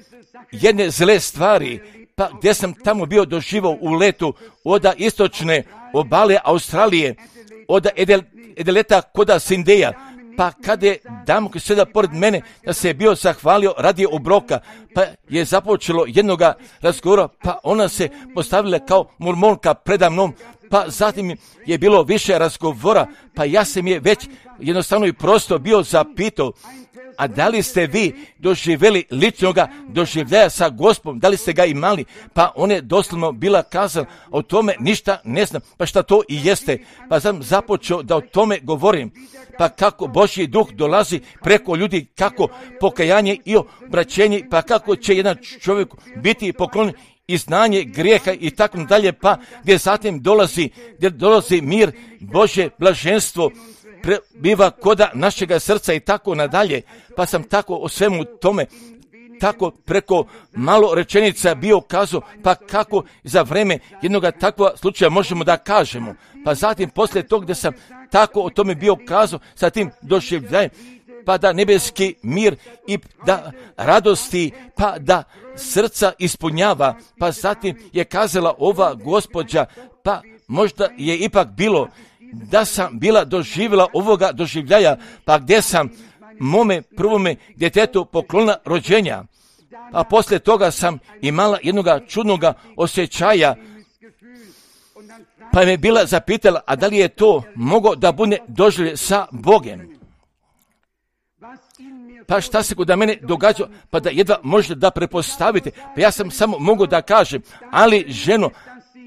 jedne zle stvari, pa gdje sam tamo bio doživao u letu od istočne obale Australije, od Edeleta koda Sindeja, pa kada je damo koji sada pored mene da se je bio zahvalio radi obroka, pa je započelo jednoga razgovora, pa ona se postavila kao mormonka preda mnom, pa zatim je bilo više razgovora, pa ja sam je već jednostavno i prosto bio zapitao, a da li ste vi doživjeli ličnoga doživljaja sa Gospodom, da li ste ga imali? Pa on je doslovno bila kazala, o tome ništa ne znam, pa šta to i jeste. Pa sam započeo da o tome govorim, pa kako Božji duh dolazi preko ljudi, kako pokajanje i obraćenje, pa kako će jedan čovjek biti poklonjen i znanje grijeha i tako dalje, pa gdje zatim dolazi mir, Božje blaženstvo, biva koda našega srca i tako nadalje, pa sam tako o svemu tome, tako preko malo rečenica bio kazao, pa kako za vreme jednog takvog slučaja možemo da kažemo. Pa zatim poslije tog gdje sam tako o tome bio kazao, sa tim doživljajem, pa da nebeski mir i da radosti, pa da srca ispunjava, pa zatim je kazala ova gospođa, pa možda je ipak bilo da sam bila doživjela ovoga doživljaja, pa gdje sam mome prvome djetetu poklonila rođenja, a poslije toga sam imala jednoga čudnoga osjećaja, pa me bila zapitala, a da li je to moglo da bude doživlje sa Bogem? Pa šta se kod mene događa, pa da jedva možete da prepostavite, pa ja sam samo mogu da kažem, ali ženo,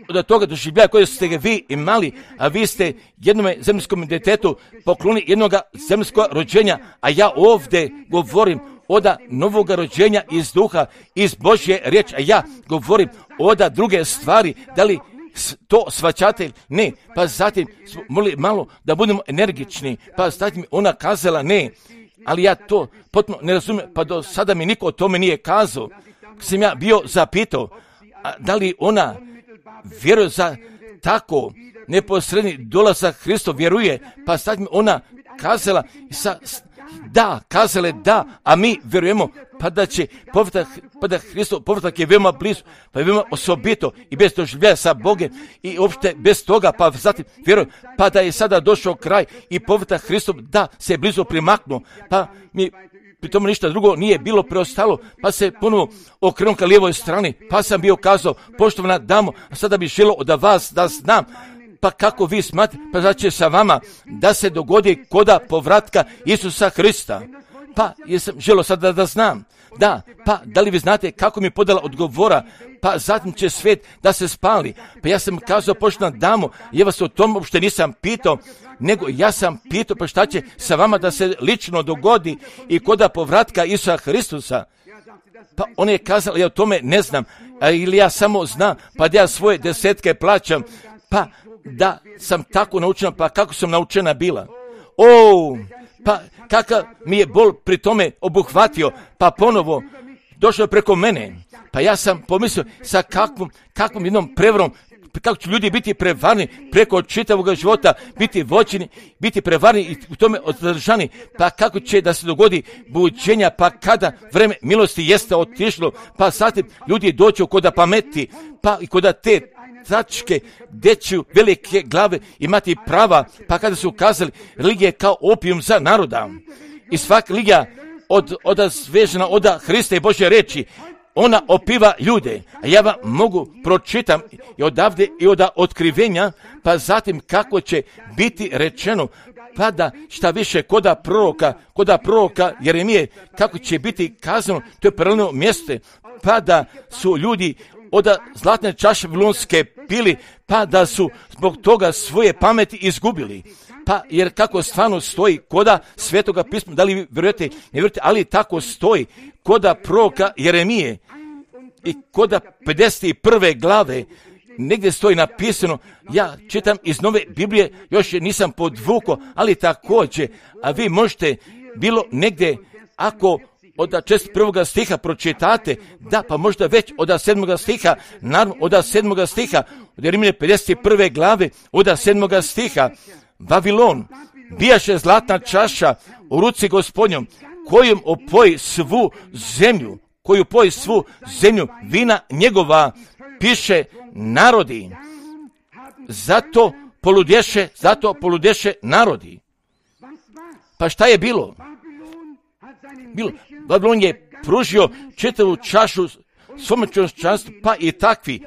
od toga doživljaja koje ste ga vi imali, a vi ste jednome zemljskom djetetu poklonili jednoga zemljskog rođenja, a ja ovdje govorim od novoga rođenja iz duha, iz Božje riječi, a ja govorim od druge stvari, da li to shvaćate? Ne, pa zatim smo morali malo da budemo energični, pa zatim ona kazala ne, ali ja to potpuno ne razumijem, pa do sada mi niko o tome nije kazao. Sam ja bio zapitao, da li ona vjeruje za tako neposredni dolazak Hristov, vjeruje, pa sad mi ona kazala da, a mi vjerujemo pa da će povratak, pa da Hristov povratak je veoma blizu, pa je veoma osobito i bez doživljaja sa Bogom i uopšte bez toga, pa zatim vjerujem pa da je sada došao kraj i povratak Hristov da se je blizu primaknuo, pa mi pri tome ništa drugo nije bilo preostalo, pa se ponovo okrenuo ka lijevoj strani, pa sam bio kazao, poštovana damo, a sada bih želio od vas da znam, pa kako vi smatrate, pa da će sa vama da se dogodi koda povratka Isusa Hrista. Pa jesam želio sada da znam, da, pa da li vi znate kako mi je podala odgovora, pa zatim će svijet da se spali. Pa ja sam kazao, poštovana damo, ja vas o tom uopšte nisam pitao, nego ja sam pitao pa šta će sa vama da se lično dogodi i koda povratka Isusa Hristusa. Pa on je kazala, ja o tome ne znam, ili ja samo znam, pa da ja svoje desetke plaćam, pa da sam tako naučena, pa kako sam naučena bila. Pa kakav mi je bol pri tome obuhvatio, pa ponovo došao preko mene. Pa ja sam pomislio sa kakvom jednom prevarom kako će ljudi biti prevarni preko čitavog života, biti voćeni, biti prevarni i u tome održani, pa kako će da se dogodi buđenja, pa kada vreme milosti jeste otišlo, pa zatim ljudi dođu kod pameti, pa i kod te tačke deću velike glave imati prava, pa kada su kazali religija kao opijum za naroda i svaka religija odazvežena od Hrista i Božje reči, ona opiva ljude, a ja vam mogu pročitam i odavde i od otkrivenja, pa zatim kako će biti rečeno, pa da šta više koda proroka Jeremije, kako će biti kazano, to je paralelno mjesto, pa da su ljudi od zlatne čaše vavilonske pili, pa da su zbog toga svoje pameti izgubili. Pa jer kako stvarno stoji koda Svetoga pisma, da li vi vjerujete, ne vjerujete, ali tako stoji koda proroka Jeremije i koda 51. glave, negdje stoji napisano, ja čitam iz Nove Biblije, još je nisam podvukao, ali također, a vi možete bilo negdje, ako od 41. stiha pročitate, da, pa možda već od 7. stiha, naravno od 7. stiha, od Jeremije 51. glave, od 7. stiha, Vavilon, bijaše zlatna čaša u ruci Gospodnjom, kojom opoji svu zemlju, vina njegova, piše narodi. Zato poludješe narodi. Pa šta je bilo? Vavilon je pružio čitavu čašu svome čovječanstvu, pa i takvi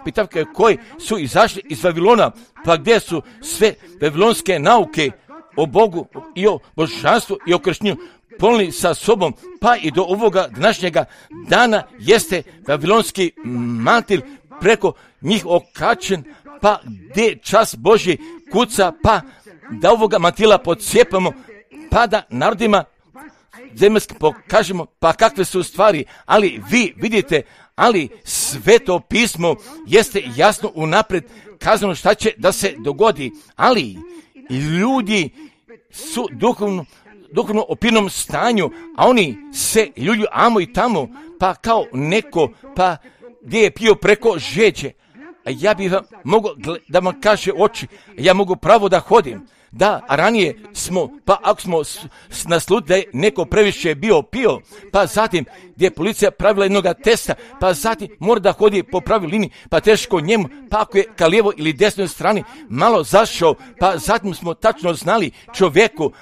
koji su izašli iz Vavilona, pa gdje su sve vavilonske nauke o Bogu i o božanstvu i o krštenju ponijeli sa sobom, pa i do ovoga današnjega dana jeste vavilonski mantil preko njih okačen, pa gdje čas Božji kuca, pa da ovoga mantila podsjepamo, pa da narodima zemaljski pokažemo, pa kakve su stvari, ali vi vidite, ali Sveto pismo jeste jasno unaprijed kazano šta će da se dogodi, ali ljudi su duhovno opinom stanju, a oni se ljulju amo i tamo, pa kao neko, pa gdje je pio preko žeđe. A ja bih vam mogao da vam kaže oči, ja mogu pravo da hodim. Da, a ranije smo, pa ako smo naslutili da je neko previše pio, pa zatim gdje je policija pravila jednog testa, pa zatim mora da hodi po pravoj liniji, pa teško njemu, pa ako je ka lijevo ili desnoj strani malo zašao, pa zatim smo tačno znali čovjeku,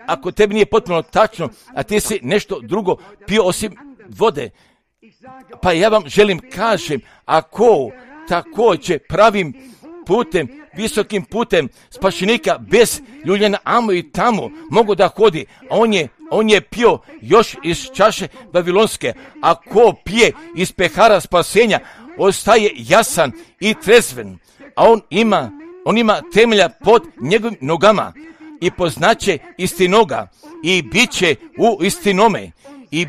ako tebi nije potpuno tačno, a ti si nešto drugo pio osim vode, pa ja vam želim kažem, ako također pravim putem, visokim putem spašenika bez ljuljena amo i tamo mogu da hodi, a on je pio još iz čaše vavilonske, a ko pije iz pehara spasenja ostaje jasan i trezven, a on ima temelja pod njegovim nogama i poznaće istinoga i bit će u istinome i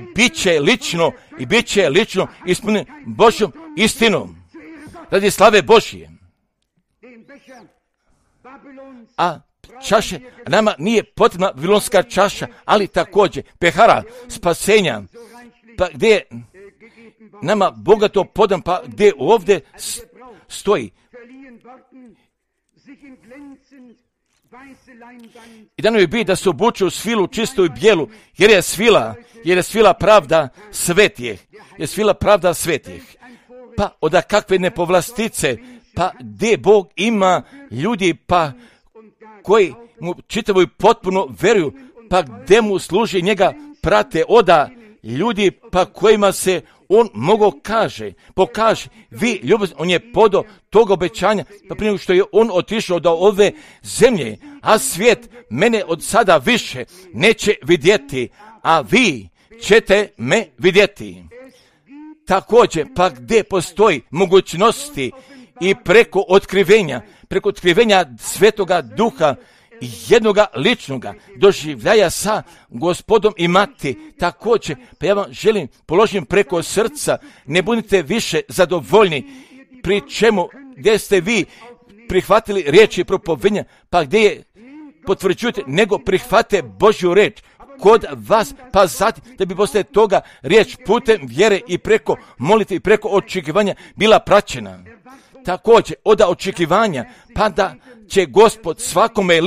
bit će lično ispunjen Božjom istinom radi slave Božje. A čaše, nama nije potrebna vavilonska čaša, ali također pehara spasenja, pa gdje je nama bogato podan, pa gdje ovdje stoji. I da nam je biti da se obuču u svilu čistu i bijelu, jer je svila pravda svetih. Pa od kakve nepovlastice, pa gdje Bog ima ljudi, pa koji mu čitavo i potpuno veruju, pa gdje mu služi njega prate oda ljudi, pa kojima se on pokaže, vi ljubav, on je podo tog obećanja, pa prije što je on otišao do ove zemlje, a svijet mene od sada više neće vidjeti, a vi ćete me vidjeti. Također, pa gdje postoji mogućnosti i preko otkrivenja Svetoga Duha, jednoga ličnoga doživljaja sa Gospodom i Mati, također, pa ja vam želim, položim preko srca, ne budite više zadovoljni, pri čemu, gdje ste vi prihvatili riječi propovedanja, pa gdje je potvrđujete, nego prihvate Božju riječ kod vas, pa zatim da bi poslije toga riječ putem vjere i preko molitve i preko očekivanja bila praćena. također od očekivanja, pa da će Gospod svakome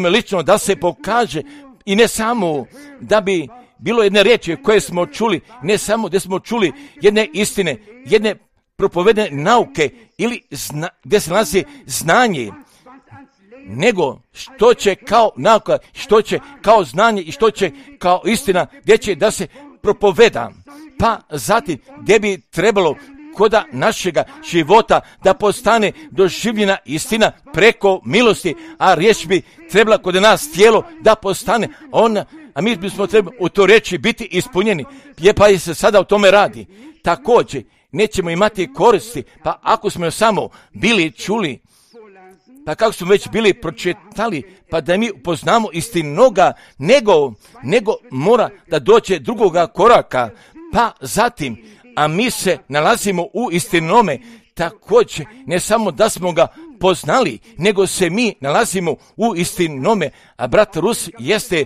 lično da se pokaže i ne samo da bi bilo jedne riječi koje smo čuli, ne samo da smo čuli jedne istine, jedne propovedene nauke ili gdje se nalazi znanje, nego što će kao nauka, što će kao znanje i što će kao istina, gdje će da se propoveda. Pa zatim gdje bi trebalo koda našega života da postane doživljena istina preko milosti, a riječ bi trebala kod nas tijelo da postane ona, a mi bismo trebali u to reći biti ispunjeni, pa se sada o tome radi. Također nećemo imati koristi, pa ako smo samo bili čuli, pa kako smo već bili pročitali, pa da mi upoznamo istinoga, nego mora da dođe drugoga koraka, pa zatim, a mi se nalazimo u istinome, također ne samo da smo ga poznali, nego se mi nalazimo u istinome, a brat Rus jeste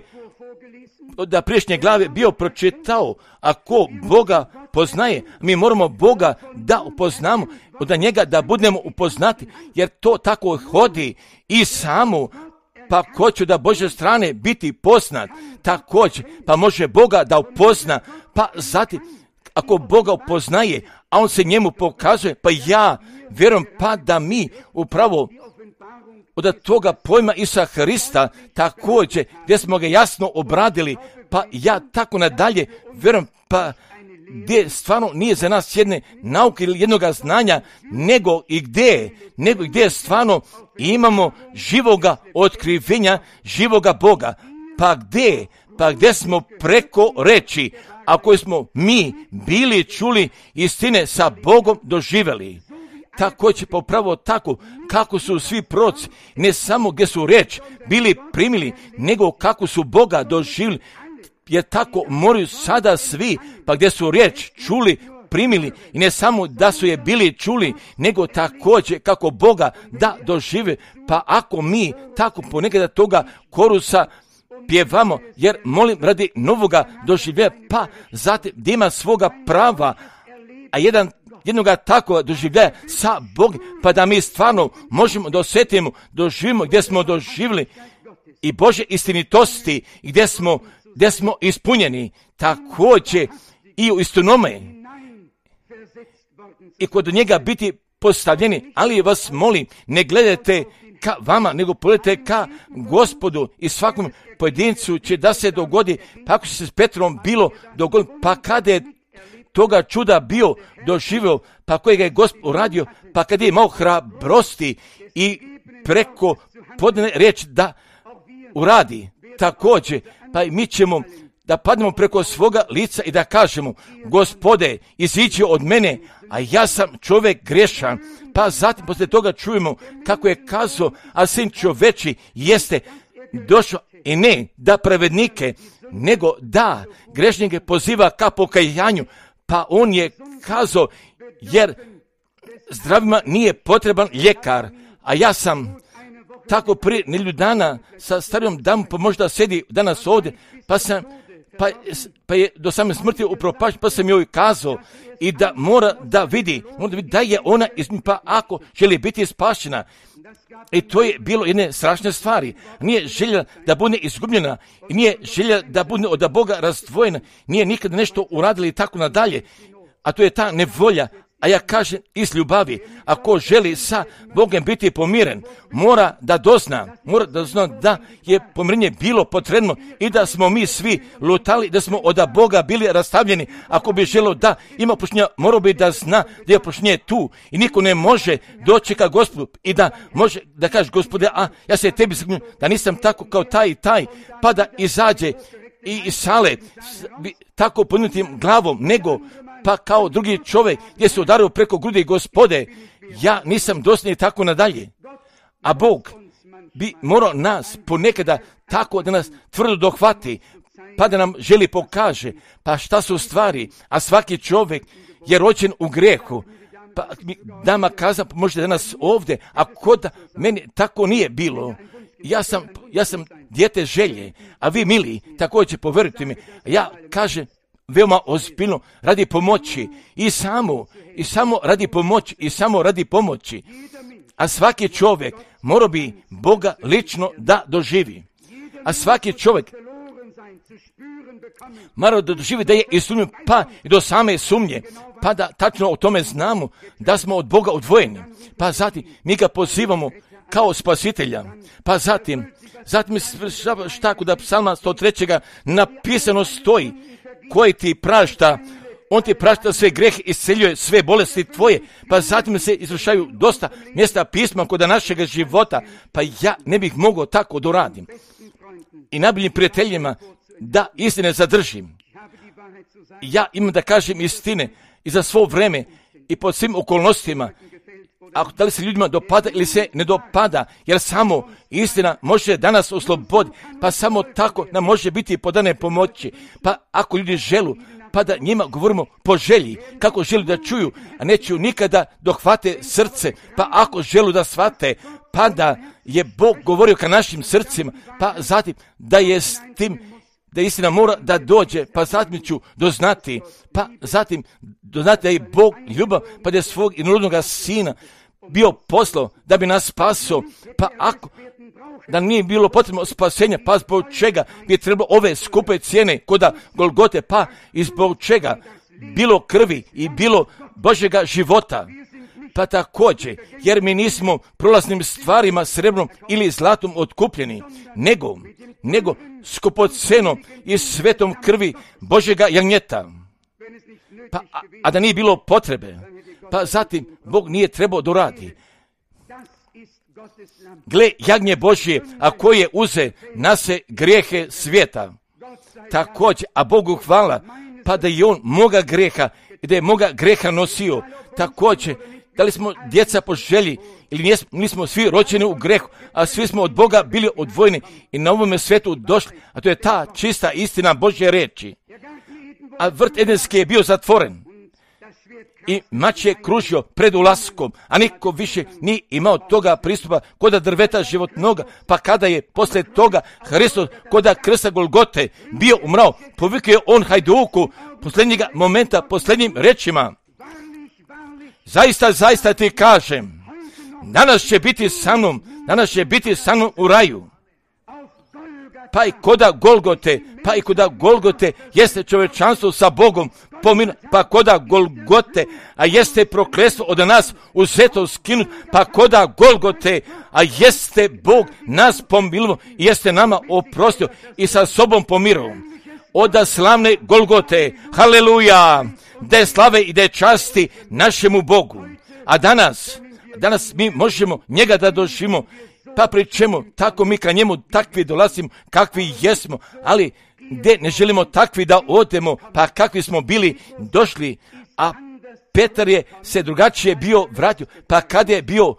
da priješnje glave bio pročitao, ako Boga poznaje, mi moramo Boga da upoznamo, od njega da budemo upoznati, jer to tako hodi i samo, pa ko će da Božje strane biti poznat, također, pa može Boga da upozna, pa zatim, ako Boga upoznaje, a on se njemu pokazuje, pa ja vjerujem pa da mi upravo od toga pojma Isusa Hrista također, gdje smo ga jasno obradili, pa ja tako nadalje vjerujem, pa gdje stvarno nije za nas jedne nauke ili jednoga znanja, nego gdje stvarno imamo živoga otkrivenja, živoga Boga, pa gdje smo preko reči, ako smo mi bili čuli istine sa Bogom doživjeli. Također popravo tako kako su svi proroci, ne samo gdje su riječ bili primili, nego kako su Boga doživjeli, jer tako moraju sada svi, pa gdje su riječ čuli, primili, i ne samo da su je bili čuli, nego također kako Boga da dožive, pa ako mi tako ponekada toga korusa pjevamo, jer molim radi novoga doživljenja, pa zatim da ima svoga prava, a jednoga takvog doživljaja sa Bogom, pa da mi stvarno možemo da osjetimo, doživimo gdje smo doživjeli i Božje istinitosti, gdje smo ispunjeni, također i u istinome i kod njega biti postavljeni, ali vas molim, ne gledajte ka vama, nego pogledajte ka Gospodu, i svakom pojedincu će da se dogodi, pa ako se s Petrom bilo dogodi, pa kada je toga čuda bio doživio, pa kojega je Gospod uradio, pa kad je imao hrabrosti i preko podane riječ da uradi, također, pa i mi ćemo da padnemo preko svoga lica i da kažemo, Gospode, iziđi od mene, a ja sam čovjek grešan. Pa zatim poslije toga čujemo kako je kazao, a sin čoveči jeste došao i ne da pravednike, nego da grešnike poziva ka pokajanju. Pa on je kazao, jer zdravima nije potreban ljekar, a ja sam tako prije nedelju dana sa starijom damom, pa možda sedi danas ovdje, pa je do same smrti upropašten, pa sam joj kazao i da mora da vidi da je ona pa ako želi biti spašena. I to je bilo jedne strašne stvari. Nije želja da bude izgubljena, i nije želja da bude od Boga razdvojena, nije nikada nešto uradili i tako nadalje. A to je ta nevolja. A ja kažem iz ljubavi, ako želi sa Bogom biti pomiren, mora da dozna da je pomirenje bilo potrebno i da smo mi svi lutali, da smo od Boga bili rastavljeni. Ako bi želio da ima oproštenja, morao bi da zna da je oproštenje tu i niko ne može doći ka Gospodu i da može da kaže, Gospode, a ja se tebi skrbljujem da nisam tako kao taj i taj, pa da izađe i iz sale tako podnutim glavom, nego pa kao drugi čovjek gdje se udario preko grudi, Gospode, ja nisam dosljedni i tako nadalje. A Bog bi morao nas ponekada tako da nas tvrdo dohvati, pa da nam želi pokaže, pa šta su stvari, a svaki čovjek je rođen u grehu. Pa dama kaza, možete danas ovdje, a kod meni tako nije bilo. Ja sam dijete želje, a vi mili, također povjerujte mi, ja kažem, veoma ozbiljno radi pomoći i samo radi pomoći. A svaki čovjek mora bi Boga lično da doživi. A svaki čovjek mora da doživi da je ispunjen, pa i do same sumnje, pa da tačno o tome znamo da smo od Boga odvojeni. Pa zatim mi ga pozivamo kao spasitelja. Pa zatim šta kod psalma 103. napisano stoji, koji ti prašta, on ti prašta sve grehe, isceljuje sve bolesti tvoje. Pa zatim se izvršaju dosta mjesta pisma kod našega života, pa ja ne bih mogao tako da radim. I najboljim prijateljima da istine zadržim. Ja imam da kažem istine i za svo vreme i pod svim okolnostima. A da li se ljudima dopada ili se ne dopada, jer samo istina može danas osloboditi, pa samo tako nam može biti podane pomoći. Pa ako ljudi želu, pa da njima govorimo po želji, kako žele da čuju, a neću nikada dohvate srce, pa ako želu da shvate, pa da je Bog govorio ka našim srcima, pa zatim da je s tim, da istina mora da dođe, pa zatim ću doznati, pa zatim doznati da je Bog ljubav, pa da je svog jednorodnoga sina bio poslao da bi nas spasio, pa ako da nije bilo potrebno spasenja, pa zbog čega bi trebalo ove skupe cijene koda Golgote, pa i zbog čega bilo krvi i bilo Božjega života. Pa također, jer mi nismo prolaznim stvarima srebrom ili zlatom otkupljeni, nego skupocenom i svetom krvi Božjega jagnjeta. Pa, a da nije bilo potrebe, pa zatim Bog nije trebao doradi. Gle, jagnje Božje, a koje je uze nase grijehe svijeta. Također, a Bogu hvala, pa da je on moga greha i da je moga greha nosio. Također, da li smo djeca po želji ili nismo svi rođeni u grehu, a svi smo od Boga bili odvojeni i na ovome svetu došli, a to je ta čista istina Božje reči. A vrt Edenski je bio zatvoren i mač je kružio pred ulaskom, a niko više nije imao toga pristupa koda drveta životnoga, pa kada je posle toga Hristos koda krsta Golgote bio umrao, povikao je on hajduku posljednjega momenta, posljednjim rečima: zaista ti kažem, danas će biti sa mnom u raju. Pa i koda Golgote jeste čovječanstvo sa Bogom pominu, pa koda Golgote, a jeste prokletstvo od nas uzeto skinut, pa koda Golgote, a jeste Bog nas pomilovo i jeste nama oprostio i sa sobom pomirovao. Oda slavne Golgote, haleluja, da je slave i da je časti našemu Bogu. A danas mi možemo njega da doživimo, pa pri čemu tako mi ka njemu takvi dolazimo kakvi jesmo, ali gdje ne želimo takvi da odemo, pa kakvi smo bili došli. A Petar je se drugačije bio vratio, pa kad je bio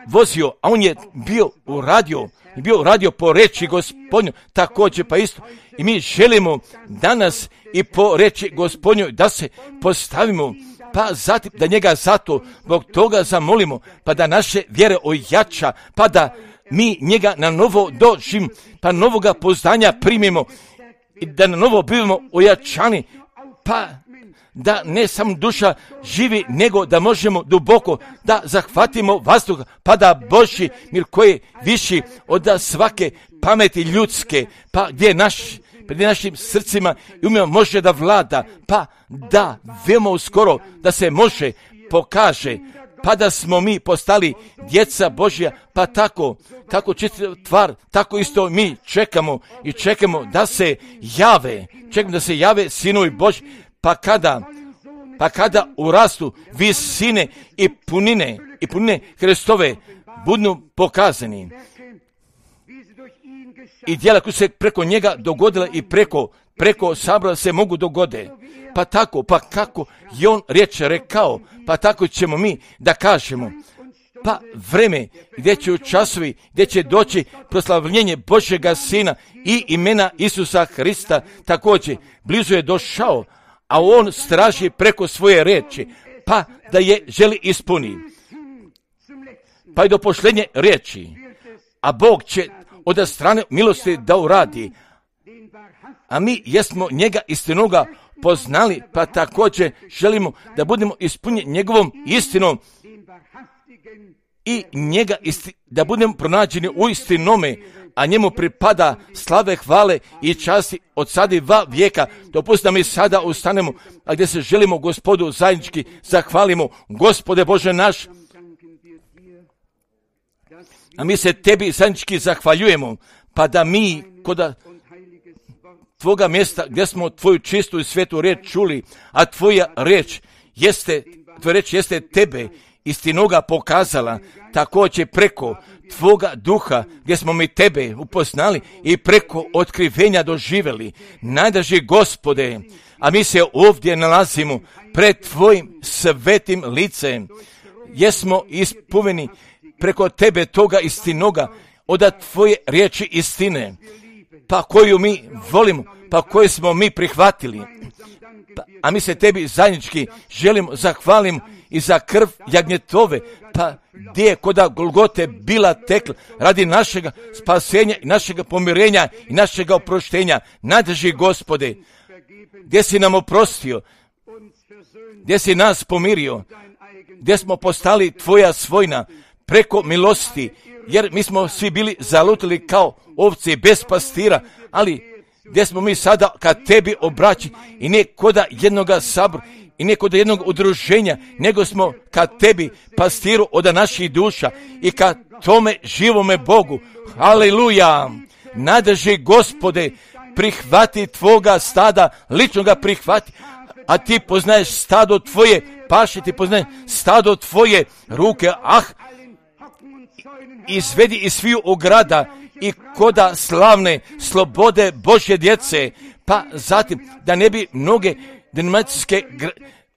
vozio, a on je bio uradio po reči Gospodnju, također pa isto. I mi želimo danas i po reči Gospodnju da se postavimo, pa zatim da njega zato zbog toga zamolimo, pa da naše vjere ojača, pa da mi njega na novo doživimo, pa novoga poznanja primimo i da na novo bivamo ojačani, pa da ne samo duša živi, nego da možemo duboko da zahvatimo vazduha, pa da Božji mir koji je viši od svake pameti ljudske, pa gdje pred našim srcima i umima može da vlada, pa da veoma uskoro da se može pokaže, pa da smo mi postali djeca Božja, pa tako čista tvar, tako isto mi čekamo da se jave sinovi Božji, pa kada urastu visine i punine Hristove budu pokazani. I djela koja se preko njega dogodila i preko sabora se mogu dogode. Pa tako, pa kako je on riječ rekao, pa tako ćemo mi da kažemo. Pa vreme gdje će časovi, gdje će doći proslavljenje Božjega Sina i imena Isusa Hrista, također blizu je došao, a on straži preko svoje riječi, pa da je želi ispuni. Pa i do posljednje riječi, a Bog će od strane milosti da uradi. A mi jesmo njega istinoga poznali, pa također želimo da budemo ispunjeni njegovom istinom i njega da budemo pronađeni u istinome, a njemu pripada slave, hvale i časti od sada i va vijeka. Dopustite da mi sada ustanemo, a gdje se želimo Gospodu zajednički zahvalimo. Gospode Bože naš, a mi se tebi zajednički zahvaljujemo, pa da mi kod tvoga mjesta gdje smo tvoju čistu i svetu riječ čuli, a tvoja riječ jeste tebe istinoga pokazala, također preko tvoga duha gdje smo mi tebe upoznali i preko otkrivenja doživjeli. Najdraži Gospode, a mi se ovdje nalazimo pred tvojim svetim licem, jesmo ispunjeni preko tebe toga istinoga, od tvoje riječi istine, pa koju mi volimo, pa koju smo mi prihvatili. A mi se tebi zajednički želimo zahvalimo i za krv jagnjetove, pa gdje je koda Golgote bila tekla radi našega spasenja i našega pomirenja i našega oproštenja. Najdraži Gospode, gdje si nam oprostio, gdje si nas pomirio, gdje smo postali tvoja svojina preko milosti, jer mi smo svi bili zalutili kao ovce bez pastira, ali gdje smo mi sada kad tebi obraći i ne koda jednoga sabora i ne kod jednog udruženja, nego smo kad tebi pastiru od naših duša i kad tome živome Bogu. Haleluja! Najdraži Gospode, prihvati tvoga stada, lično ga prihvati, a ti poznaješ stado tvoje paše, ti poznaješ stado tvoje ruke, izvedi iz sviju ograda i koda slavne slobode Božje djece, pa zatim da ne bi mnoge denominacijske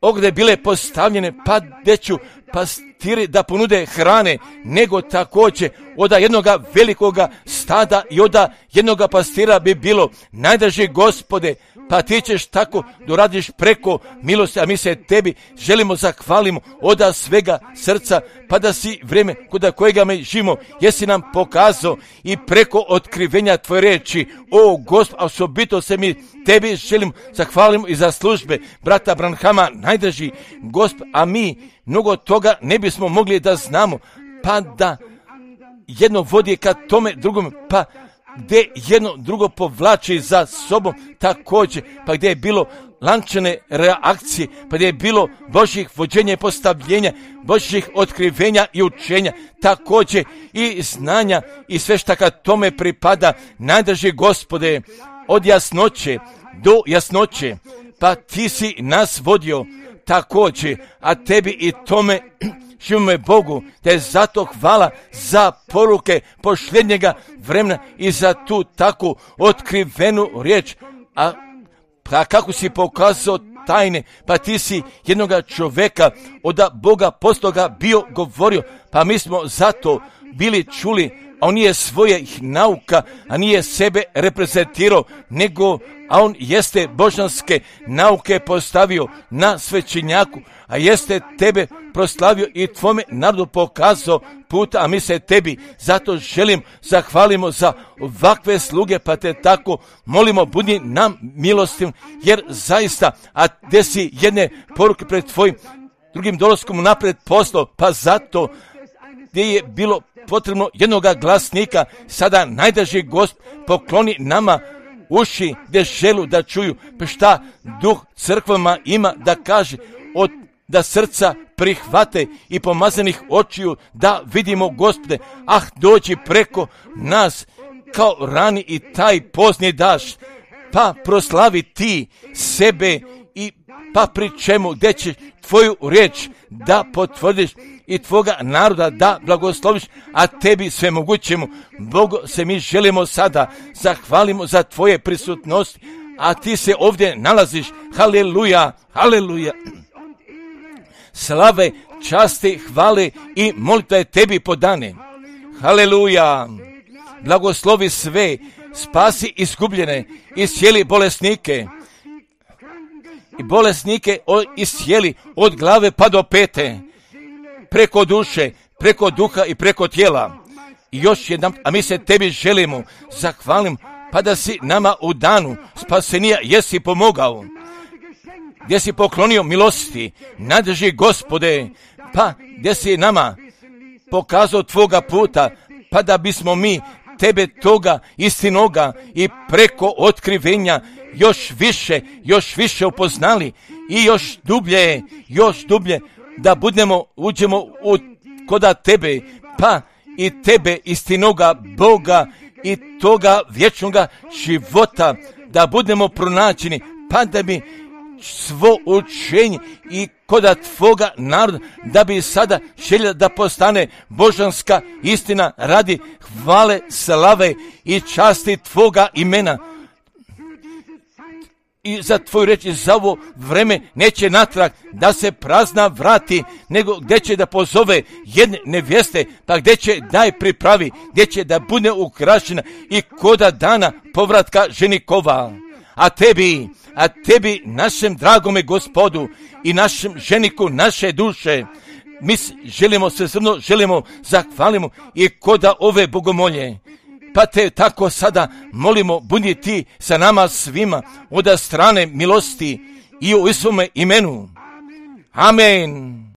ograde bile postavljene, pa deću pastiri da ponude hrane, nego također od jednoga velikoga stada i od jednoga pastira bi bilo. Najdraži Gospode, pa ti ćeš tako doradiš preko milosti, a mi se tebi želimo zahvalimo od svega srca, pa da si vrijeme kod kojega me živimo, jesi nam pokazao i preko otkrivenja tvoje riječi. O Gospod, osobito se mi tebi želimo zahvalimo i za službe brata Branhama, najdraži Gospod, a mi mnogo toga ne bismo mogli da znamo, pa da jedno vodi ka tome drugom, pa gdje jedno drugo povlači za sobom također, pa gdje je bilo lančane reakcije, pa gdje je bilo Božjih vođenja i postavljenja, Božjih otkrivenja i učenja, također i znanja i sve što kad tome pripada. Najdraži Gospode, od jasnoće do jasnoće, pa ti si nas vodio također, a tebi i tome živimo Bogu, te zato hvala za poruke posljednjega vremena i za tu takvu otkrivenu riječ. A kako si pokazao tajne, pa ti si jednoga čovjeka od Boga postoga bio govorio, pa mi smo zato bili čuli, a on nije svojih nauka, a nije sebe reprezentirao, nego a on jeste božanske nauke postavio na svećenjaku, a jeste tebe proslavio i tvome narodu pokazao puta, a mi se tebi zato želim zahvalimo za ovakve sluge, pa te tako molimo, budi nam milostiv, jer zaista, a gdje si jedne poruke pred tvojim drugim dolaskom napred poslao, pa zato gdje je bilo potrebno jednoga glasnika, sada najdraži Gospod pokloni nama uši gdje želu da čuju, pa šta duh crkvama ima da kaže, da srca prihvate i pomazanih očiju da vidimo Gospode, dođi preko nas kao rani i taj pozni daš, pa proslavi ti sebe i pa pri čemu gdje će tvoju riječ da potvrdiš i tvoga naroda da blagosloviš, a tebi sve mogućemo. Bogu se mi želimo sada zahvalimo za tvoje prisutnosti, a ti se ovdje nalaziš. Haleluja, haleluja. Slave, časti, hvale i molitva je tebi podane. Haleluja. Blagoslovi sve, spasi izgubljene, iscijeli bolesnike. I bolesnike iscijeli od glave pa do pete, preko duše, preko duha i preko tijela. I još jedan, a mi se tebi želimo zahvalim, pa da si nama u danu spasenija jesi pomogao. gdje si poklonio milosti, nadrži Gospode, pa gdje si nama pokazao tvoga puta, pa da bismo mi tebe toga istinoga i preko otkrivenja još više upoznali i još dublje da uđemo koda tebe, pa i tebe istinoga Boga i toga vječnoga života da budemo pronađeni, pa da bi svo učenje i koda tvoga naroda, da bi sada želja da postane božanska istina radi hvale, slave i časti tvoga imena. I za tvoju reč i za ovo vreme neće natrag da se prazna vrati, nego gdje će da pozove jedne nevjeste, pa gdje će da je pripravi, gdje će da bude ukrašena i koda dana povratka ženikova. A tebi, našem dragome Gospodu i našem ženiku naše duše, mi želimo zahvalimo i koda ove bogomolje. Pa te tako sada molimo, budi ti sa nama svima od strane milosti i u svome imenu. Amen.